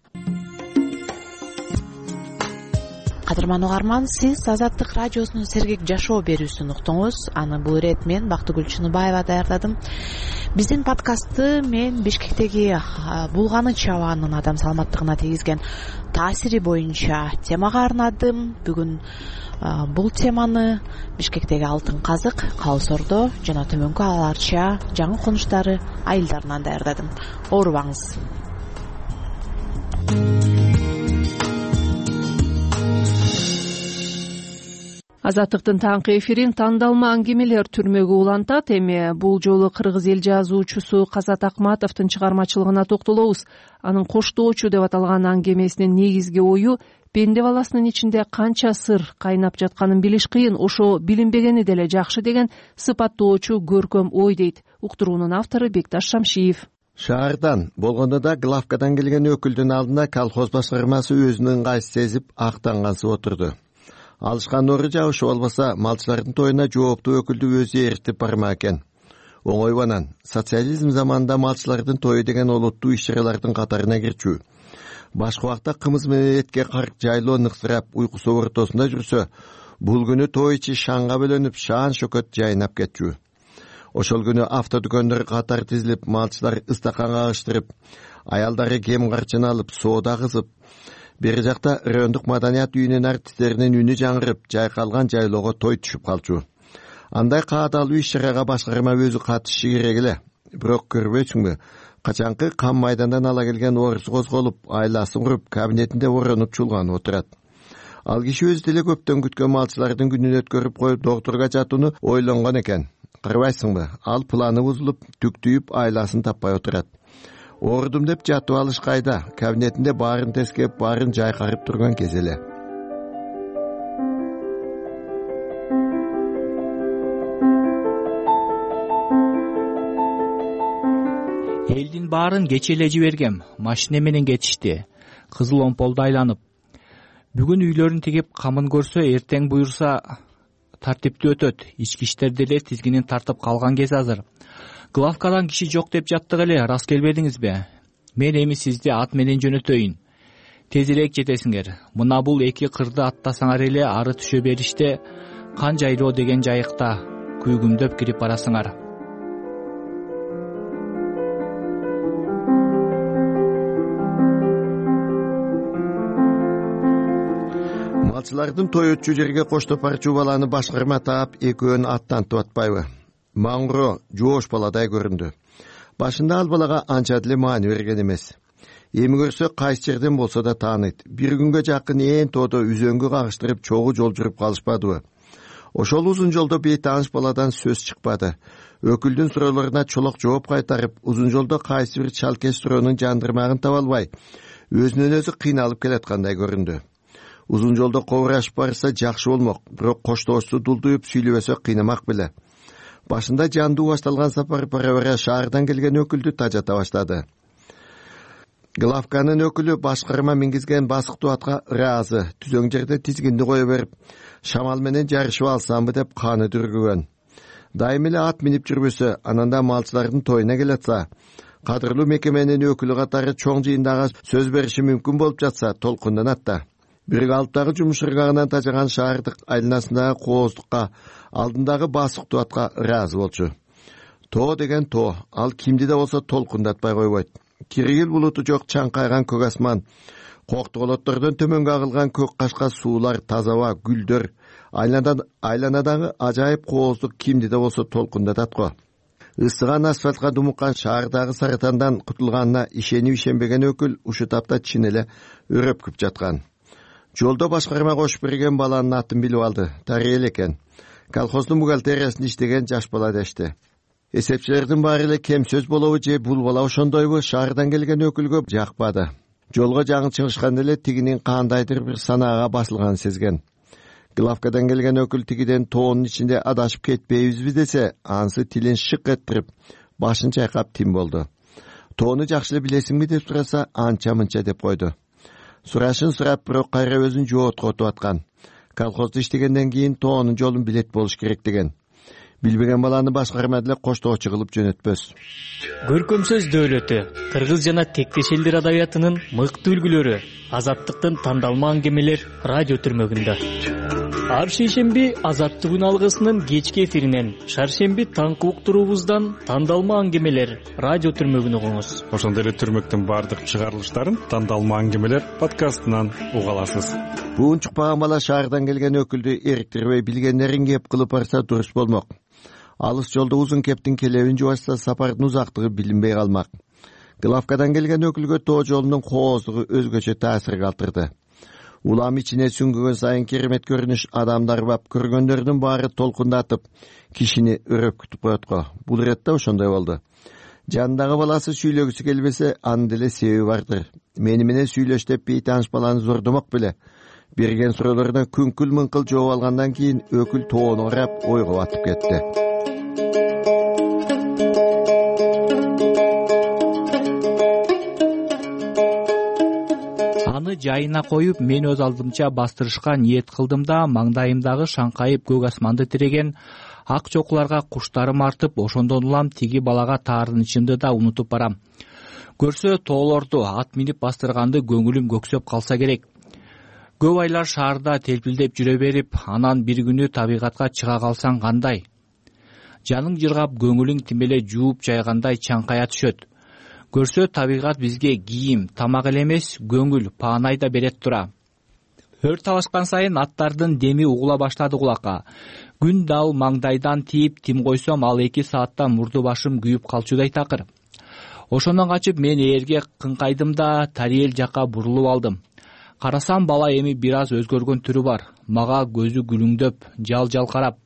Кадырман угарман, сиз Азаттык радиосунун Сергек жашоо берүүсүн уктуңуз. Аны бул ирет мен Бактыгүл Чыныбаева даярдадым. Биздин подкастты мен Бишкектеги булганы чабаанын адам саламаттыгына тийгизген таасири боюнча темага арнадым. Бүгүн бул теманы Бишкектеги Алтын Казык, Калыс-Ордо жана Төмөнкү Аларча жаңы конуштары айылдарынан даярдадым. Оорубаңыз. Азаттыктын таңкы эфирин тандалма аңгемелер түрмөгү улантат. Эми бул жолу кыргыз эл жазуучусу Казат Акматовдун чыгармачылыгына токтолобуз. Анын Коштоочу деп аталган аңгемесинин негизги ою пенде баласынын ичинде канча сыр кайнап жатканын билиш кыйын, ошо билинбегени деле жакшы деген сыпаттоочу көркөм ой дейт. Уктуруунун автору Бекташ Шамшиев. Шаардан болгондо да главкадан келген өкүлдүн алдына колхоз башкармасы өзүнүн ыңгайсы сезип актангансып отурду. Алышкан ору жабышы болбосо малчылардын тоюна жооптуу өкүлдү өзү эртип барма экен. Оңойбанан социализм заманында малчылардын тою деген олуттуу иш-чаралардын катарына кирчү. Башка убакта кымыз менен этке карк жайлоо ныксырап уйкусу ортосунда жүрсө, бул күнү той ичи шаңга бөлөнүп, шаан шөкөт жайнап кетчү. Ошол күнү автодүкөндөр катар тизилип, малчылар ыстаканга агыштырып, аялдары кем карчын алып, соода кызып, бери жакта райондук маданият үйүнүн артисттеринин үнү жаңырып, жайкалган жайлоого той түшүп калчу. Андай каадалуу иш-чарага башкарма өзү катышышы керек эле. Бирок көрбөйсүңбү, качанкы кам майдандан ала келген орус козголуп, айласын куруп, кабинетинде оронуп чулганып отурат. Ал киши өзү деле көптөн күткөн малчылардын күнүн өткөрүп коюп, доктурга жатууну ойлонгон экен. Карабайсыңбы, ал планы бузулуп, түктүйүп, айласын таппай отурат. Оорудум деп жатып алыш кайда, кабинетинде баарын тескеп, баарын жайкарып турган кез эле. Элдин баарын кече эле жибергем, машина менен кетишти. Кызыл омполду айланып. Бүгүн үйлөрүн тигип камын көрсө, эртең буюрса тартиптүү өтөт. Ички иштер деле тизгинин тартып калган кез азыр. Главкадан киши жок деп жаттык эле, рас келбедиңизби? Мен эми сизди ат менен жөнөтөйүн. Тезирээк жетесиңер. Мына бул эки кырды аттасаңар эле ары түшө бериште Кан жайлоо деген жайыкта күйгүмдөп кирип барасыңар. Малчылардын той өтчү жерге коштоп барчу баланы башкарма таап, экөөнү аттантып атпайбы? Маңро жоош баладай көрүндү. Башында ал балага анча деле маани берген эмес. Эми көрсө кайсы жерден болсо да тааныйт. Бир күнгө жакын ээн тоодо үзөңгү кагыштырып чогуу жол жүрүп калышпадыбы? Ошол узун жолдо бейтааныш баладан сөз чыкпады. Өкүлдүн суроолоруна чолок жооп кайтарып, узун жолдо кайсы бир чалкеш суроонун жандырмагын таба албай, өзүнөн өзү кыйналып келаткандай көрүндү. Узун жолдо кобурашып барса жакшы болмок, бирок коштоочту дулдуюп сүйлөбөсө кыйнамак беле. Башында жандуу башталган сапар бара-бара шаардан келген өкүлдү тажата баштады. Главканын өкүлү башкарма мингизген басыктуу атка ыраазы, түзөң жерде тизгинди кое берип, шамал менен жарышып алсамбы деп каны дүргүгөн. Дайым эле ат минип жүрбөсө, ананда малчылардын тоюна келатса, кадырлуу мекеменин өкүлү катары чоң жыйындага сөз бериши мүмкүн болуп жатса, толкунданат да. Бирик алыптагы жумуш ыргагынан тажаган шаардык айланасындагы кооздукка, алдындагы басыктуу атка ыраазы болчу. Тоо деген тоо, ал кимди да болсо толкундатпай койбойт. Киргил булуту жок чаңкайган көк асман, Кооктуголоттордон төмөнгө агылган көк кашка суулар, таза аба, гүлдөр айланадагы ажайып кооздук кимди да болсо толкундатат го. Ысыган асфальтка думуккан шаардагы саратандан кутулганына ишенип ишенбеген өкүл ушу тапта чын эле өрөпкүп жаткан. Жолдо башкарма кошуп берген баланын атын билип алды. Тариел экен. Колхоздун бухгалтериясында иштеген жаш бала дешти. Эсепчилердин баары эле кем сөз болобу же бул бала ошондойбу шаардан келген өкүлгө жакпады. Жолго жаңы чыгышканда эле тигинин кандайдыр бир санаага басылганын сезген. Главкадан келген өкүл тигиден тоонун ичинде адашып кетпейбизби десе, ансы тилин шык этирип, башын чайкап тим болду. Тоону жакшы эле билесиңби деп сураса, анча-мынча деп койду. Сурашын сурап, бирок кайра өзүн жооткотуп аткан. Колхоздо иштегенден кийин тоонун жолун билет болуш керек деген. Билбеген баланы башкарма деле коштоочу кылып жөнөтпөс. Көркөм сөз дөөлөтү, кыргыз жана тектеш элдер адабиятынын мыкты үлгүлөрү, азаттыктын тандалма аңгемелер радио түрмөгүндө. Ар шейшемби Азаттык алгысынын кечки эфиринен, шаршемби таңкы уктуруубуздан тандалма аңгемелер радио түрмөгүн угуңуз. Ошондой эле түрмөктүн баардык чыгарылыштарын тандалма аңгемелер подкастынан уга аласыз. Буун чукпаган бала шаардан келген өкүлдү эриктирбей билгендерин кеп кылып барса дурус болмок. Алыс жолдо узун кептин келебин жубашса сапардын узактыгы билинбей калмак. Главкадан келген өкүлгө тоо жолунун кооздугу өзгөчө таасир калтырды. Улам ичине сүңгүгөн сайын керемет көрүнүш адамдар бап көргөндөрдүн баары толкундатып, кишини өрөпкүтүп коет го. Бул иретте ошондой болду. Жанындагы баласы сүйлөгүсү келбесе, анын деле себеби бардыр. Мени менен сүйлөш деп бейтааныш баланы зордомок беле. Берген суроолордон күңкүл-мыңкыл жооп алгандан кийин өкүл тоону карап ойго батып кетти. Аны жайына коюп, мен өз алдымча бастырышка ниет кылдым да, маңдайымдагы шаңкайып көк асманды тиреген ак чокуларга куштарым артып, ошондон улам тиги балага таарынычымды да унутуп барам. Көрсө тоолорду ат минип бастырганды көңүлүм көксөп калса керек. Көп айлар шаарда телпилдеп жүрө берип, анан бир күнү табигатка чыга калсаң кандай? Жаның жыргап, көңүлүң тим эле жууп жайгандай чаңкая түшөт. Көрсө табигат бизге кийим, тамак эле эмес, көңүл, паанай да берет тура. Өр талашкан сайын аттардын деми угула баштады кулакка. Күн дал маңдайдан тийип, тим койсом ал 2 саатта мурду башым күйүп калчудай такыр. Ошондон качып мен ээрге кыңкайдым да Тариел жакка бурулуп алдым. Карасам бала эми бир аз өзгөргөн түрү бар. Мага көзү күлүңдөп, жал карап,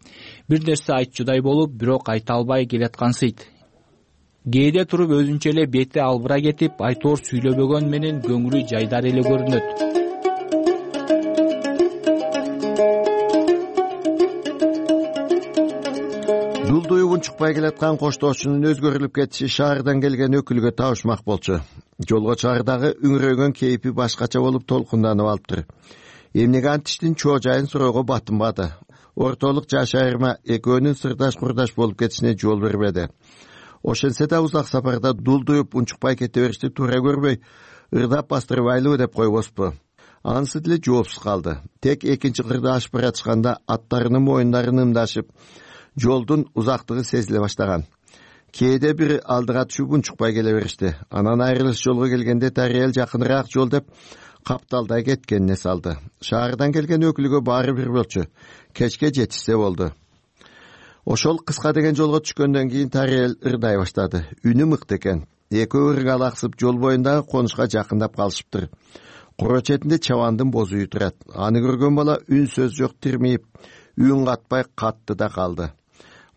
бир нерсе айтчудай болуп, бирок айта албай келаткансыйт. Кээде туруп өзүнчө эле бети албыра кетип, айтоор сүйлөбөгөн менен көңүлү жайдар эле көрүнөт. Дулдуюп унчукпай келаткан коштоочунун өзгөрүлүп кетиши шаардан келген өкүлгө табышмак болчу. Жолго чыгардагы үңүрөгөн кейпи башкача болуп толкунданып алыптыр. Эмнеге антиштин чоо жайын суроого батынбады. Ортолук жаш айырма экөөнүн сырдаш-курдаш болуп кетишине жол бербеди. Ошентсе да узак сапарда дулдуюп унчукпай кете беришти туура көрбөй, ырдап бастырбайлыбы деп койбоспу. Анысы деле жоопсуз калды. Тек экинчи кырды ашып баратышканда аттарынын моюндарын ымдашып, жолдун узактыгы сезиле баштаган. Кээде бир алдыга түшүп унчукпай келе беришти. Анан айрылыш жолго келгенде Тариел жакыныраак жол деп капталдай кеткенине салды. Шаардан келген өкүлгө баары бир болчу. Кечке жетишсе болду. Ошол кыска деген жолго түшкөндөн кийин Тариел ырдай баштады. Үнү мыкты экен. Экөө ыргалаксып жол боюндагы конушка жакындап калышыптыр. Куро четинде чабандын бозу үй турат. Аны көргөн бала үн сөз жок тирмейип, үн катпай катты да калды.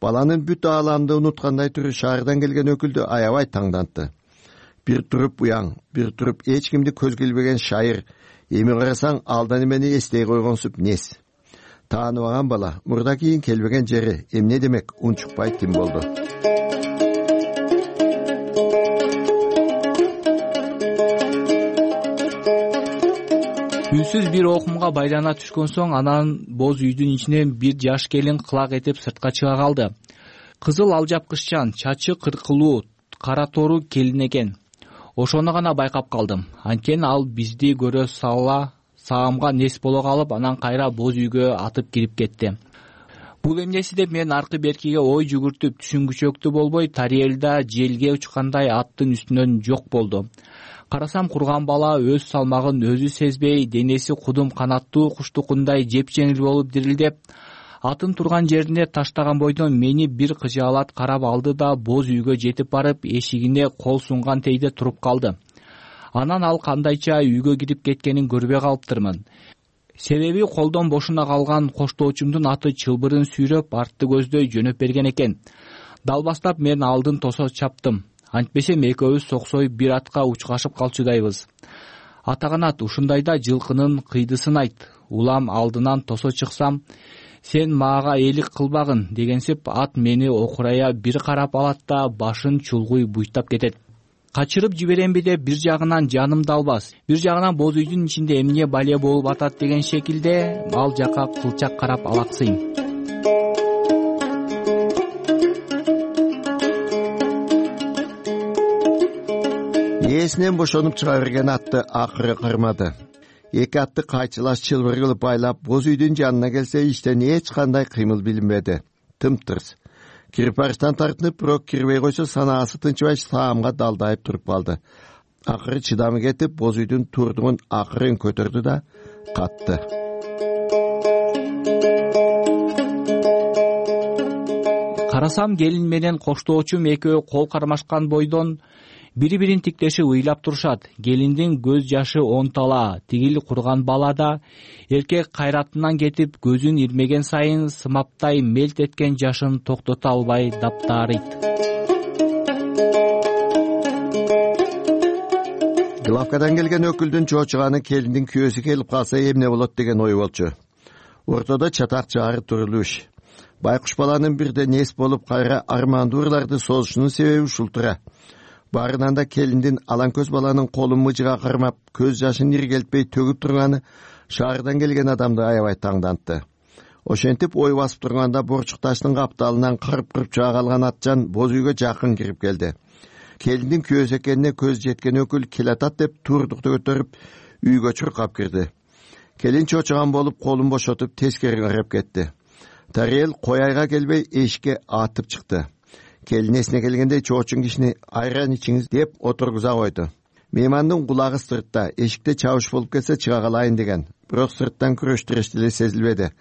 Баланын бүт ааламды унуткандай түрү шаардан келген өкүлдү аябай таңдантты. Бир туруп уяң, бир туруп эч кимди көзгө илбеген шайыр. Эми карасаң алдан эмени эстей койгонсуп нес. Тааныбаган бала, мурда кийин келбеген жери, эмне демек унчукпай тим болду. Үнсүз бир окумга байлана түшкөн соң анан боз үйдүн ичинен бир жаш келин кылак этип сыртка чыга калды. Кызыл алжапкыччан, чачы кыркылуу, кара тору келин экен. Ошону гана байкап калдым. Анткени ал бизди көрө сала саамга нес боло калып, анан кайра боз үйгө атып кирип кетти. бул эмнеси деп мен аркы беркиге ой жүгүртүп түшүнгүчөктүү болбой Тариэлда желге учкандай аттын үстүнөн жок болду. Карасам курган бала өз салмагын өзү сезбей, денеси кудум канаттуу куштукундай жепжеңил болуп дирилдеп, атын турган жерине таштаган бойдон мени бир кыжаалат карап алды да боз үйгө жетип барып эшигине кол сунган тейде туруп калды. Анан ал кандайча үйгө кирип кеткенин көрбөй калыптырмын. Себеби колдон бошуна калган коштоочумдун аты чылбырын сүйрөп артты көздөй жөнөп берген экен. Далбастап мен алдын тосо чаптым. Антпесем экөөбүз соксой бир атка учкашып калчудайбыз. Атаганат, ушундайда жылкынын кыйдысын айт. Улам алдынан тосо чыксам, сен мага элик кылбагын дегенсип ат мени окурая бир карап алат да башын чулгуй буйтап кетет. Качырып жиберемби деп бир жагынан жаным далбас, бир жагынан боз үйдүн ичинде эмне бале болуп атат деген шекилде ал жака кылчак карап алаксыйм. Ээсинен бошонуп чыга берген атты акыры кырмады. Эки атты кайчылаш чылбыр кылып байлап боз үйдүн жанына келсе иштен эч кандай кыймыл билинбеди. Тымтырс. Кирпарчтан тартынып, бирок кирбей койсо санаасы тынчыбай саамга далдайып туруп калды. Акыры чыдамы кетип, боз үйдүн турдугун акырын көтөрдү да катты. Карасам келин менен коштоочум экөө кол кармашкан бойдон бири-бирин тиктешип ыйлап турушат. Келиндин көз жашы онтала, тигил курган бала да эркек кайратынан кетип, көзүн ирмеген сайын сымаптай мелт эткен жашын токтото албай даптаарыйт. Главкадан келген өкүлдүн чоочуганы келиндин күйөөсү келип калса эмне болот деген ой болчу. Ортодо чатак жаары турулуш. Байкуш баланын бирден эс болуп кайра армандуу ырларды созушунун себеби ушул тура. Барынан да келиндин алан көз баланын колун мыжыга кармап, көз жашын иргелтпей төгүп турганы шаардан келген адамды аябай таңдантты. Ошентип ой басып турганда борчук таштын капталынан кырып чыга калган атчан боз үйгө жакын кирип келди. Келиндин күйөөсү экенине көз жеткен өкүл келатат деп турдукту көтөрүп үйгө чуркап кирди. Келин чочуган болуп колун бошотуп тескери карап кетти. Тариэл кояйга келбей эшикке атып чыкты. Келин эсине келгенде чоочун кишини айран ичиңиз деп отургуза койду. Меймандын кулагы сыртта, эшикте чабыш болуп кетсе чыга калайын деген. Бирок сырттан күрөштүрөш деле сезилбеди.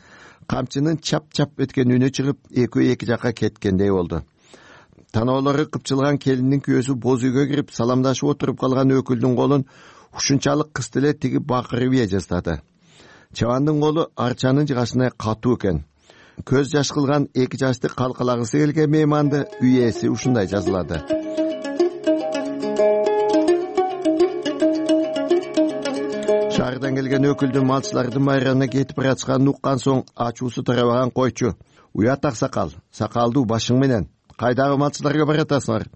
Камчынын чап-чап өткөн үнү чыгып, экөө эки жакка кеткендей болду. Таноолору кыпчылган келиндин күйөөсү боз үйгө кирип саламдашып отуруп калган өкүлдүн колун ушунчалык кысты эле тиги бакырып ие жаздады. Чабандын колу арчанын жыгашына катуу экен. Көз жаш кылган эки жашты калкалагысы келген мейманды үй ээси ушундай жазылады. Шаардан келген өкүлдүн малчылардын майрамына кетип баратканын уккан соң ачуусу тарабаган койчу. Уят аксакал, сакалдуу башың менен кайдагы малчыларга баратасыңар?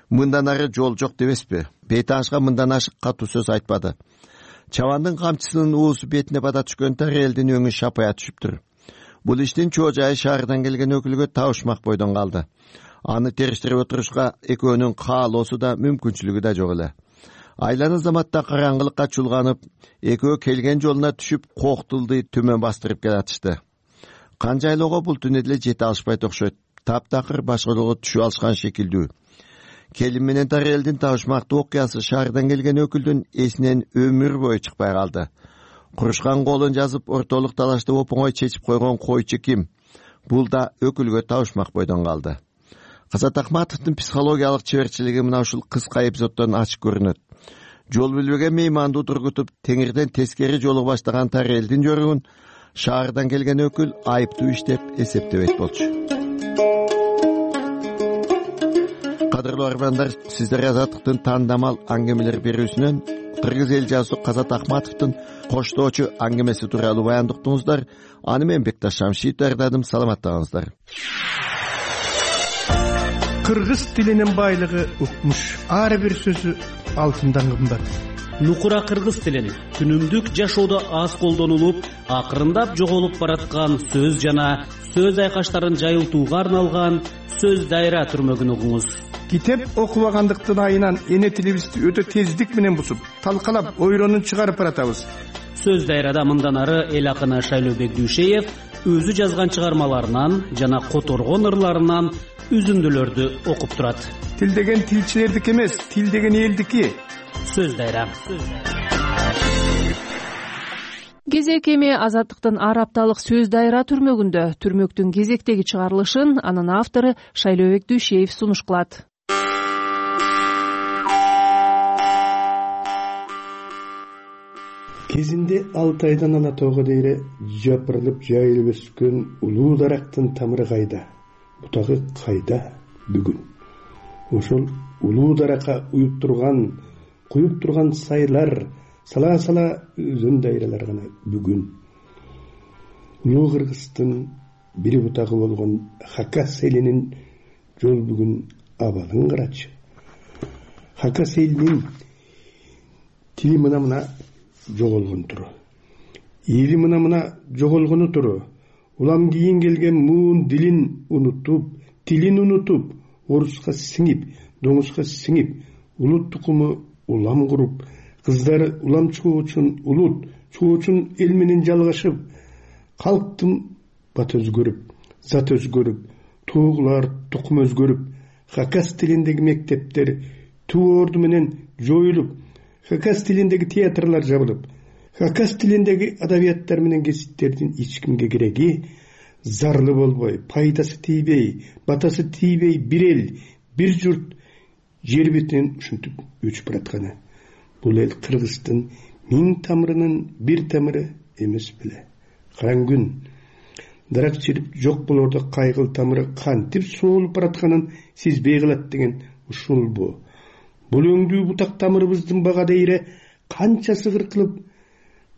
Мындан ары жол жок дебеспи? Бейтанышка мындан ашык катуу сөз айтпады. Чабандын камчысынын уусу бетине бата түшкөн Тариэлдин өңү шапая түшүптүр. Бул иштин чоо жайы шаардан келген өкүлгө табышмак бойдон калды. Аны териштирип отурушка экөөнүн каалоосу да мүмкүнчүлүгү да жок эле. Айланы заматта караңгылыкка чулганып, экөө келген жолуна түшүп коктулду төмөн бастырып келатышты. Канжайлоого бул түнү деле жете алышпайт окшойт. Таптакыр башка жолго түшүп алышкан шекилдүү. Келин менен Тариэлдин табышмактуу окуясы шаардан келген өкүлдүн эсинен өмүр бою чыкпай калды. Курушкан колун жазып ортолук талашты оңой чечип койгон койчу ким? Бул да өкүлгө табышмак бойдон калды. Казат Акматовдун психологиялык чеберчилиги мына ушул кыска эпизоддон ачык көрүнөт. Жол билбеген мейманды тургутуп, теңирден тескери жолго баштаган Тариэлдин жоругун шаардан келген өкүл айыптуу иштеп эсептебейт болчу. Кадырлуу армандар, сиздер Азаттыктын тандамал аңгемелер берүүсүнөн кыргыз эл жазуучу Казат Акматовдун коштоочу аңгемеси тууралуу баяндоо уктуңуздар. Аны мен Бекташ Шамшиев даярдадым. Саламаттаңыздар. Кыргыз тилинин байлыгы укмуш. Ар бир сөзү алтындан кымбат. Нукура кыргыз тилин күнүмдүк жашоодо аз колдонулуп, акырындап жоголуп бараткан сөз жана сөз айкаштарын жайылтууга арналган сөз дайра түрмөгүн угуңуз. Китеп окубагандыктын айынан эне тилибизди өтө тездик менен бусуп, талкалап, ойронун чыгарып баратабыз. Сөз дайрада мындан ары эл акыны Шайлообек Дүйшеев өзү жазган чыгармаларынан жана которгон ырларынан үзүндүлөрдү окуп турат. Тил деген тилчилердики эмес, тил деген элдики. Сөз дайра. Кезек эми Азаттыктын ар апталык сөз дайра түрмөгүндө түрмөктүн кезектеги чыгарылышын анын автору Шайлообек Дүйшеев сунуш кылат. Кезинде 6 айдан ала тоого дейре жапырылып жайылып өскөн улуу дарактын тамыры кайда, бутагы кайда бүгүн? Ошол улуу даракка куюп турган сайлар, сала өзөн дайралар гана бүгүн. Улуу Кыргыздын бир бутагы болгон Хакас элинин жол бүгүн абалын карачы. Хакас элинин тили мына жоголгон туру, эли мына жоголгону туру. Улам кийин келген муун дилин унутуп, тилин унутуп, оруска сиңип, доңузга сиңип, улут тукуму улам куруп, кыздары улам чыгуу үчүн улут чыгуу үчүн эл менен жалгашып, калктын бат өзгөрүп, зат өзгөрүп, туугулар тукум өзгөрүп, Хакас тилиндеги мектептер туу орду менен жоюлуп, Хакас тилиндеги театрлар жабылып, Хакас тилиндеги адабияттар менен гезиттердин эч кимге кереги, зарлы болбой, пайдасы тийбей, батасы тийбей бир эл, бир журт жер бетинен ушинтип өчүп баратканы. Бул эл Кыргыздын 1000 тамырынын бир тамыры эмес беле. Караң күн дарак чирип жок болордо кайгыл тамыры кантип соолуп баратканын сезбей калат деген ушулбу. Бул өңдүү бутак тамырыбыздын бага дейре канчасы кыркылып,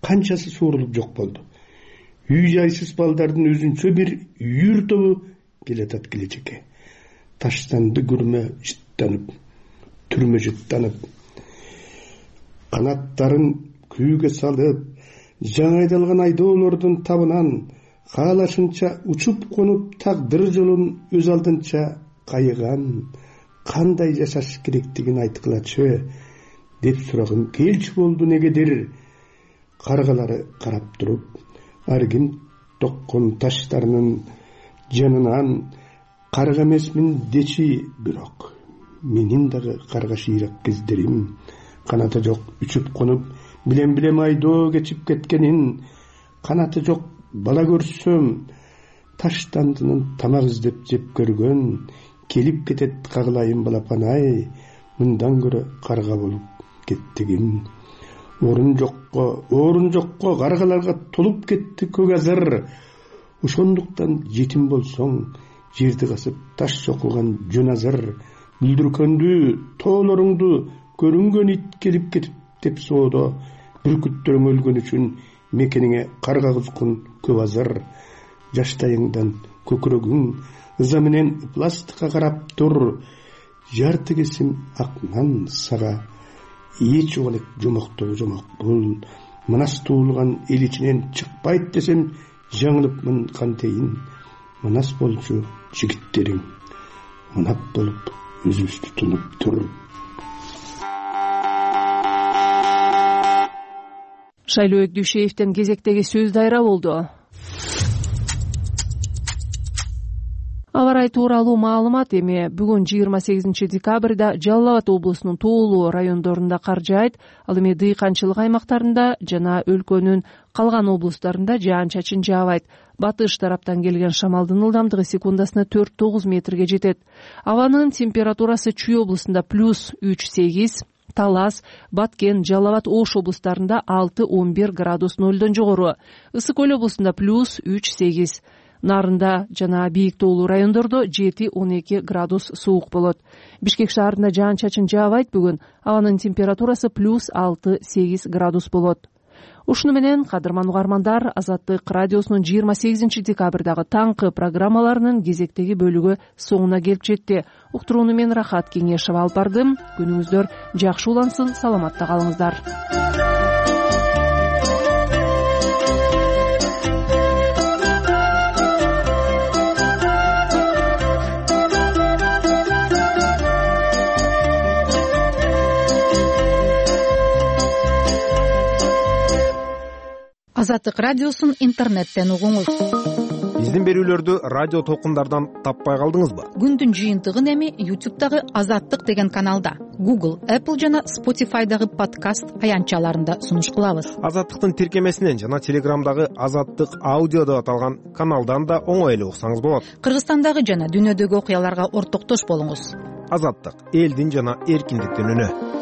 канчасы суурулуп жок болду. Үй жайсыз балдардын өзүнчө бир үйүр тобу келатат келечекке. Таштанды күрмө жыттанып, түрмө жыттанып, канаттарын күүгө салып, жаңы айдалган айдоолордун табынан каалашынча учуп конуп, тагдыр жолун өз алдынча кайыган, кандай жашаш керектигин айткылачы деп сурагым келчү болду негедир. Каргалары карап туруп, ар ким токкон таштарынын жанынан карга эмесмин дечи, бирок менин дагы карга шыйрак кездерим, канаты жок үчүп конуп, билем айдоо кечип кеткенин, канаты жок бала көрсөм, таштандынын тамак издеп жеп көргөн, келип кетет кагылайын балапан-ай, мындан көрө карга болуп кеттигим. Орун жокко каргаларга толуп кетти көк азыр. Ошондуктан жетим болсоң, жерди касып таш чокулган жөн азыр. Бүлдүркөндү, тоолоруңду көрүнгөн ит келип кетип деп соодо, бүркүттөрүң өлгөн үчүн мекениңе карга кузгун көп азыр. Жаштайыңдан көкүрөгүң ыза менен пластикка карап тур, жарты кесим ак нан сага эч угалек жомоктоо жомок бул. Манас туулган эл ичинен чыкпайт десем жаңылыпмын кантейин. Манас болчу жигиттериң манап болуп өзүбүздү тунуп тур. Шайлообек Дүйшеевден кезектеги сөз дайра болду. Аба ырайы тууралуу маалымат эми бүгүн 28 декабрда Жалал Абад облусунун тоолуу райондорунда кар жаайт, ал эми дыйканчылык аймактарында жана өлкөнүн калган облустарында жаан-чачын жаабайт. Батыш тараптан келген шамалдын ылдамдыгы секундасына 4-9 метрге жетет. Абанын температурасы Чүй облусунда +3-8, Талас, Баткен, Жалал Абад, Ош облустарында 6-11 градус нөлдөн жогору. Ысык Көл облусунда +3-8. Нарында жана бийик тоолуу райондордо 7-12 градус суук болот. Бишкек шаарында жаан-чачын жаабайт бүгүн. Абанын температурасы +6-8 градус болот. Ушуну менен, кадырман угармандар, Азаттык радиосунун 28 декабрдагы таңкы программаларынын кезектеги бөлүгү соңуна келип жетти. Уктурууну мен Рахат Кеңешова алып бардым. Күнүңүздөр жакшы улансын, саламатта калыңыздар. Азаттык радиосун интернеттен угуңуз. биздин берүүлөрдү радио толкундардан таппай калдыңызбы? Күндүн жыйынтыгын эми YouTube'дагы Азаттык деген каналда, Google, Apple жана Spotify'дагы подкаст аянтчаларында сунуш кылабыз. Азаттыктын тиркемесинен жана Телеграмдагы Азаттык аудио деп аталган каналдан да оңой эле уксаңыз болот. Кыргызстандагы жана дүйнөдөгү окуяларга ортоктош болуңуз. Азаттык — элдин жана эркиндиктин үнү.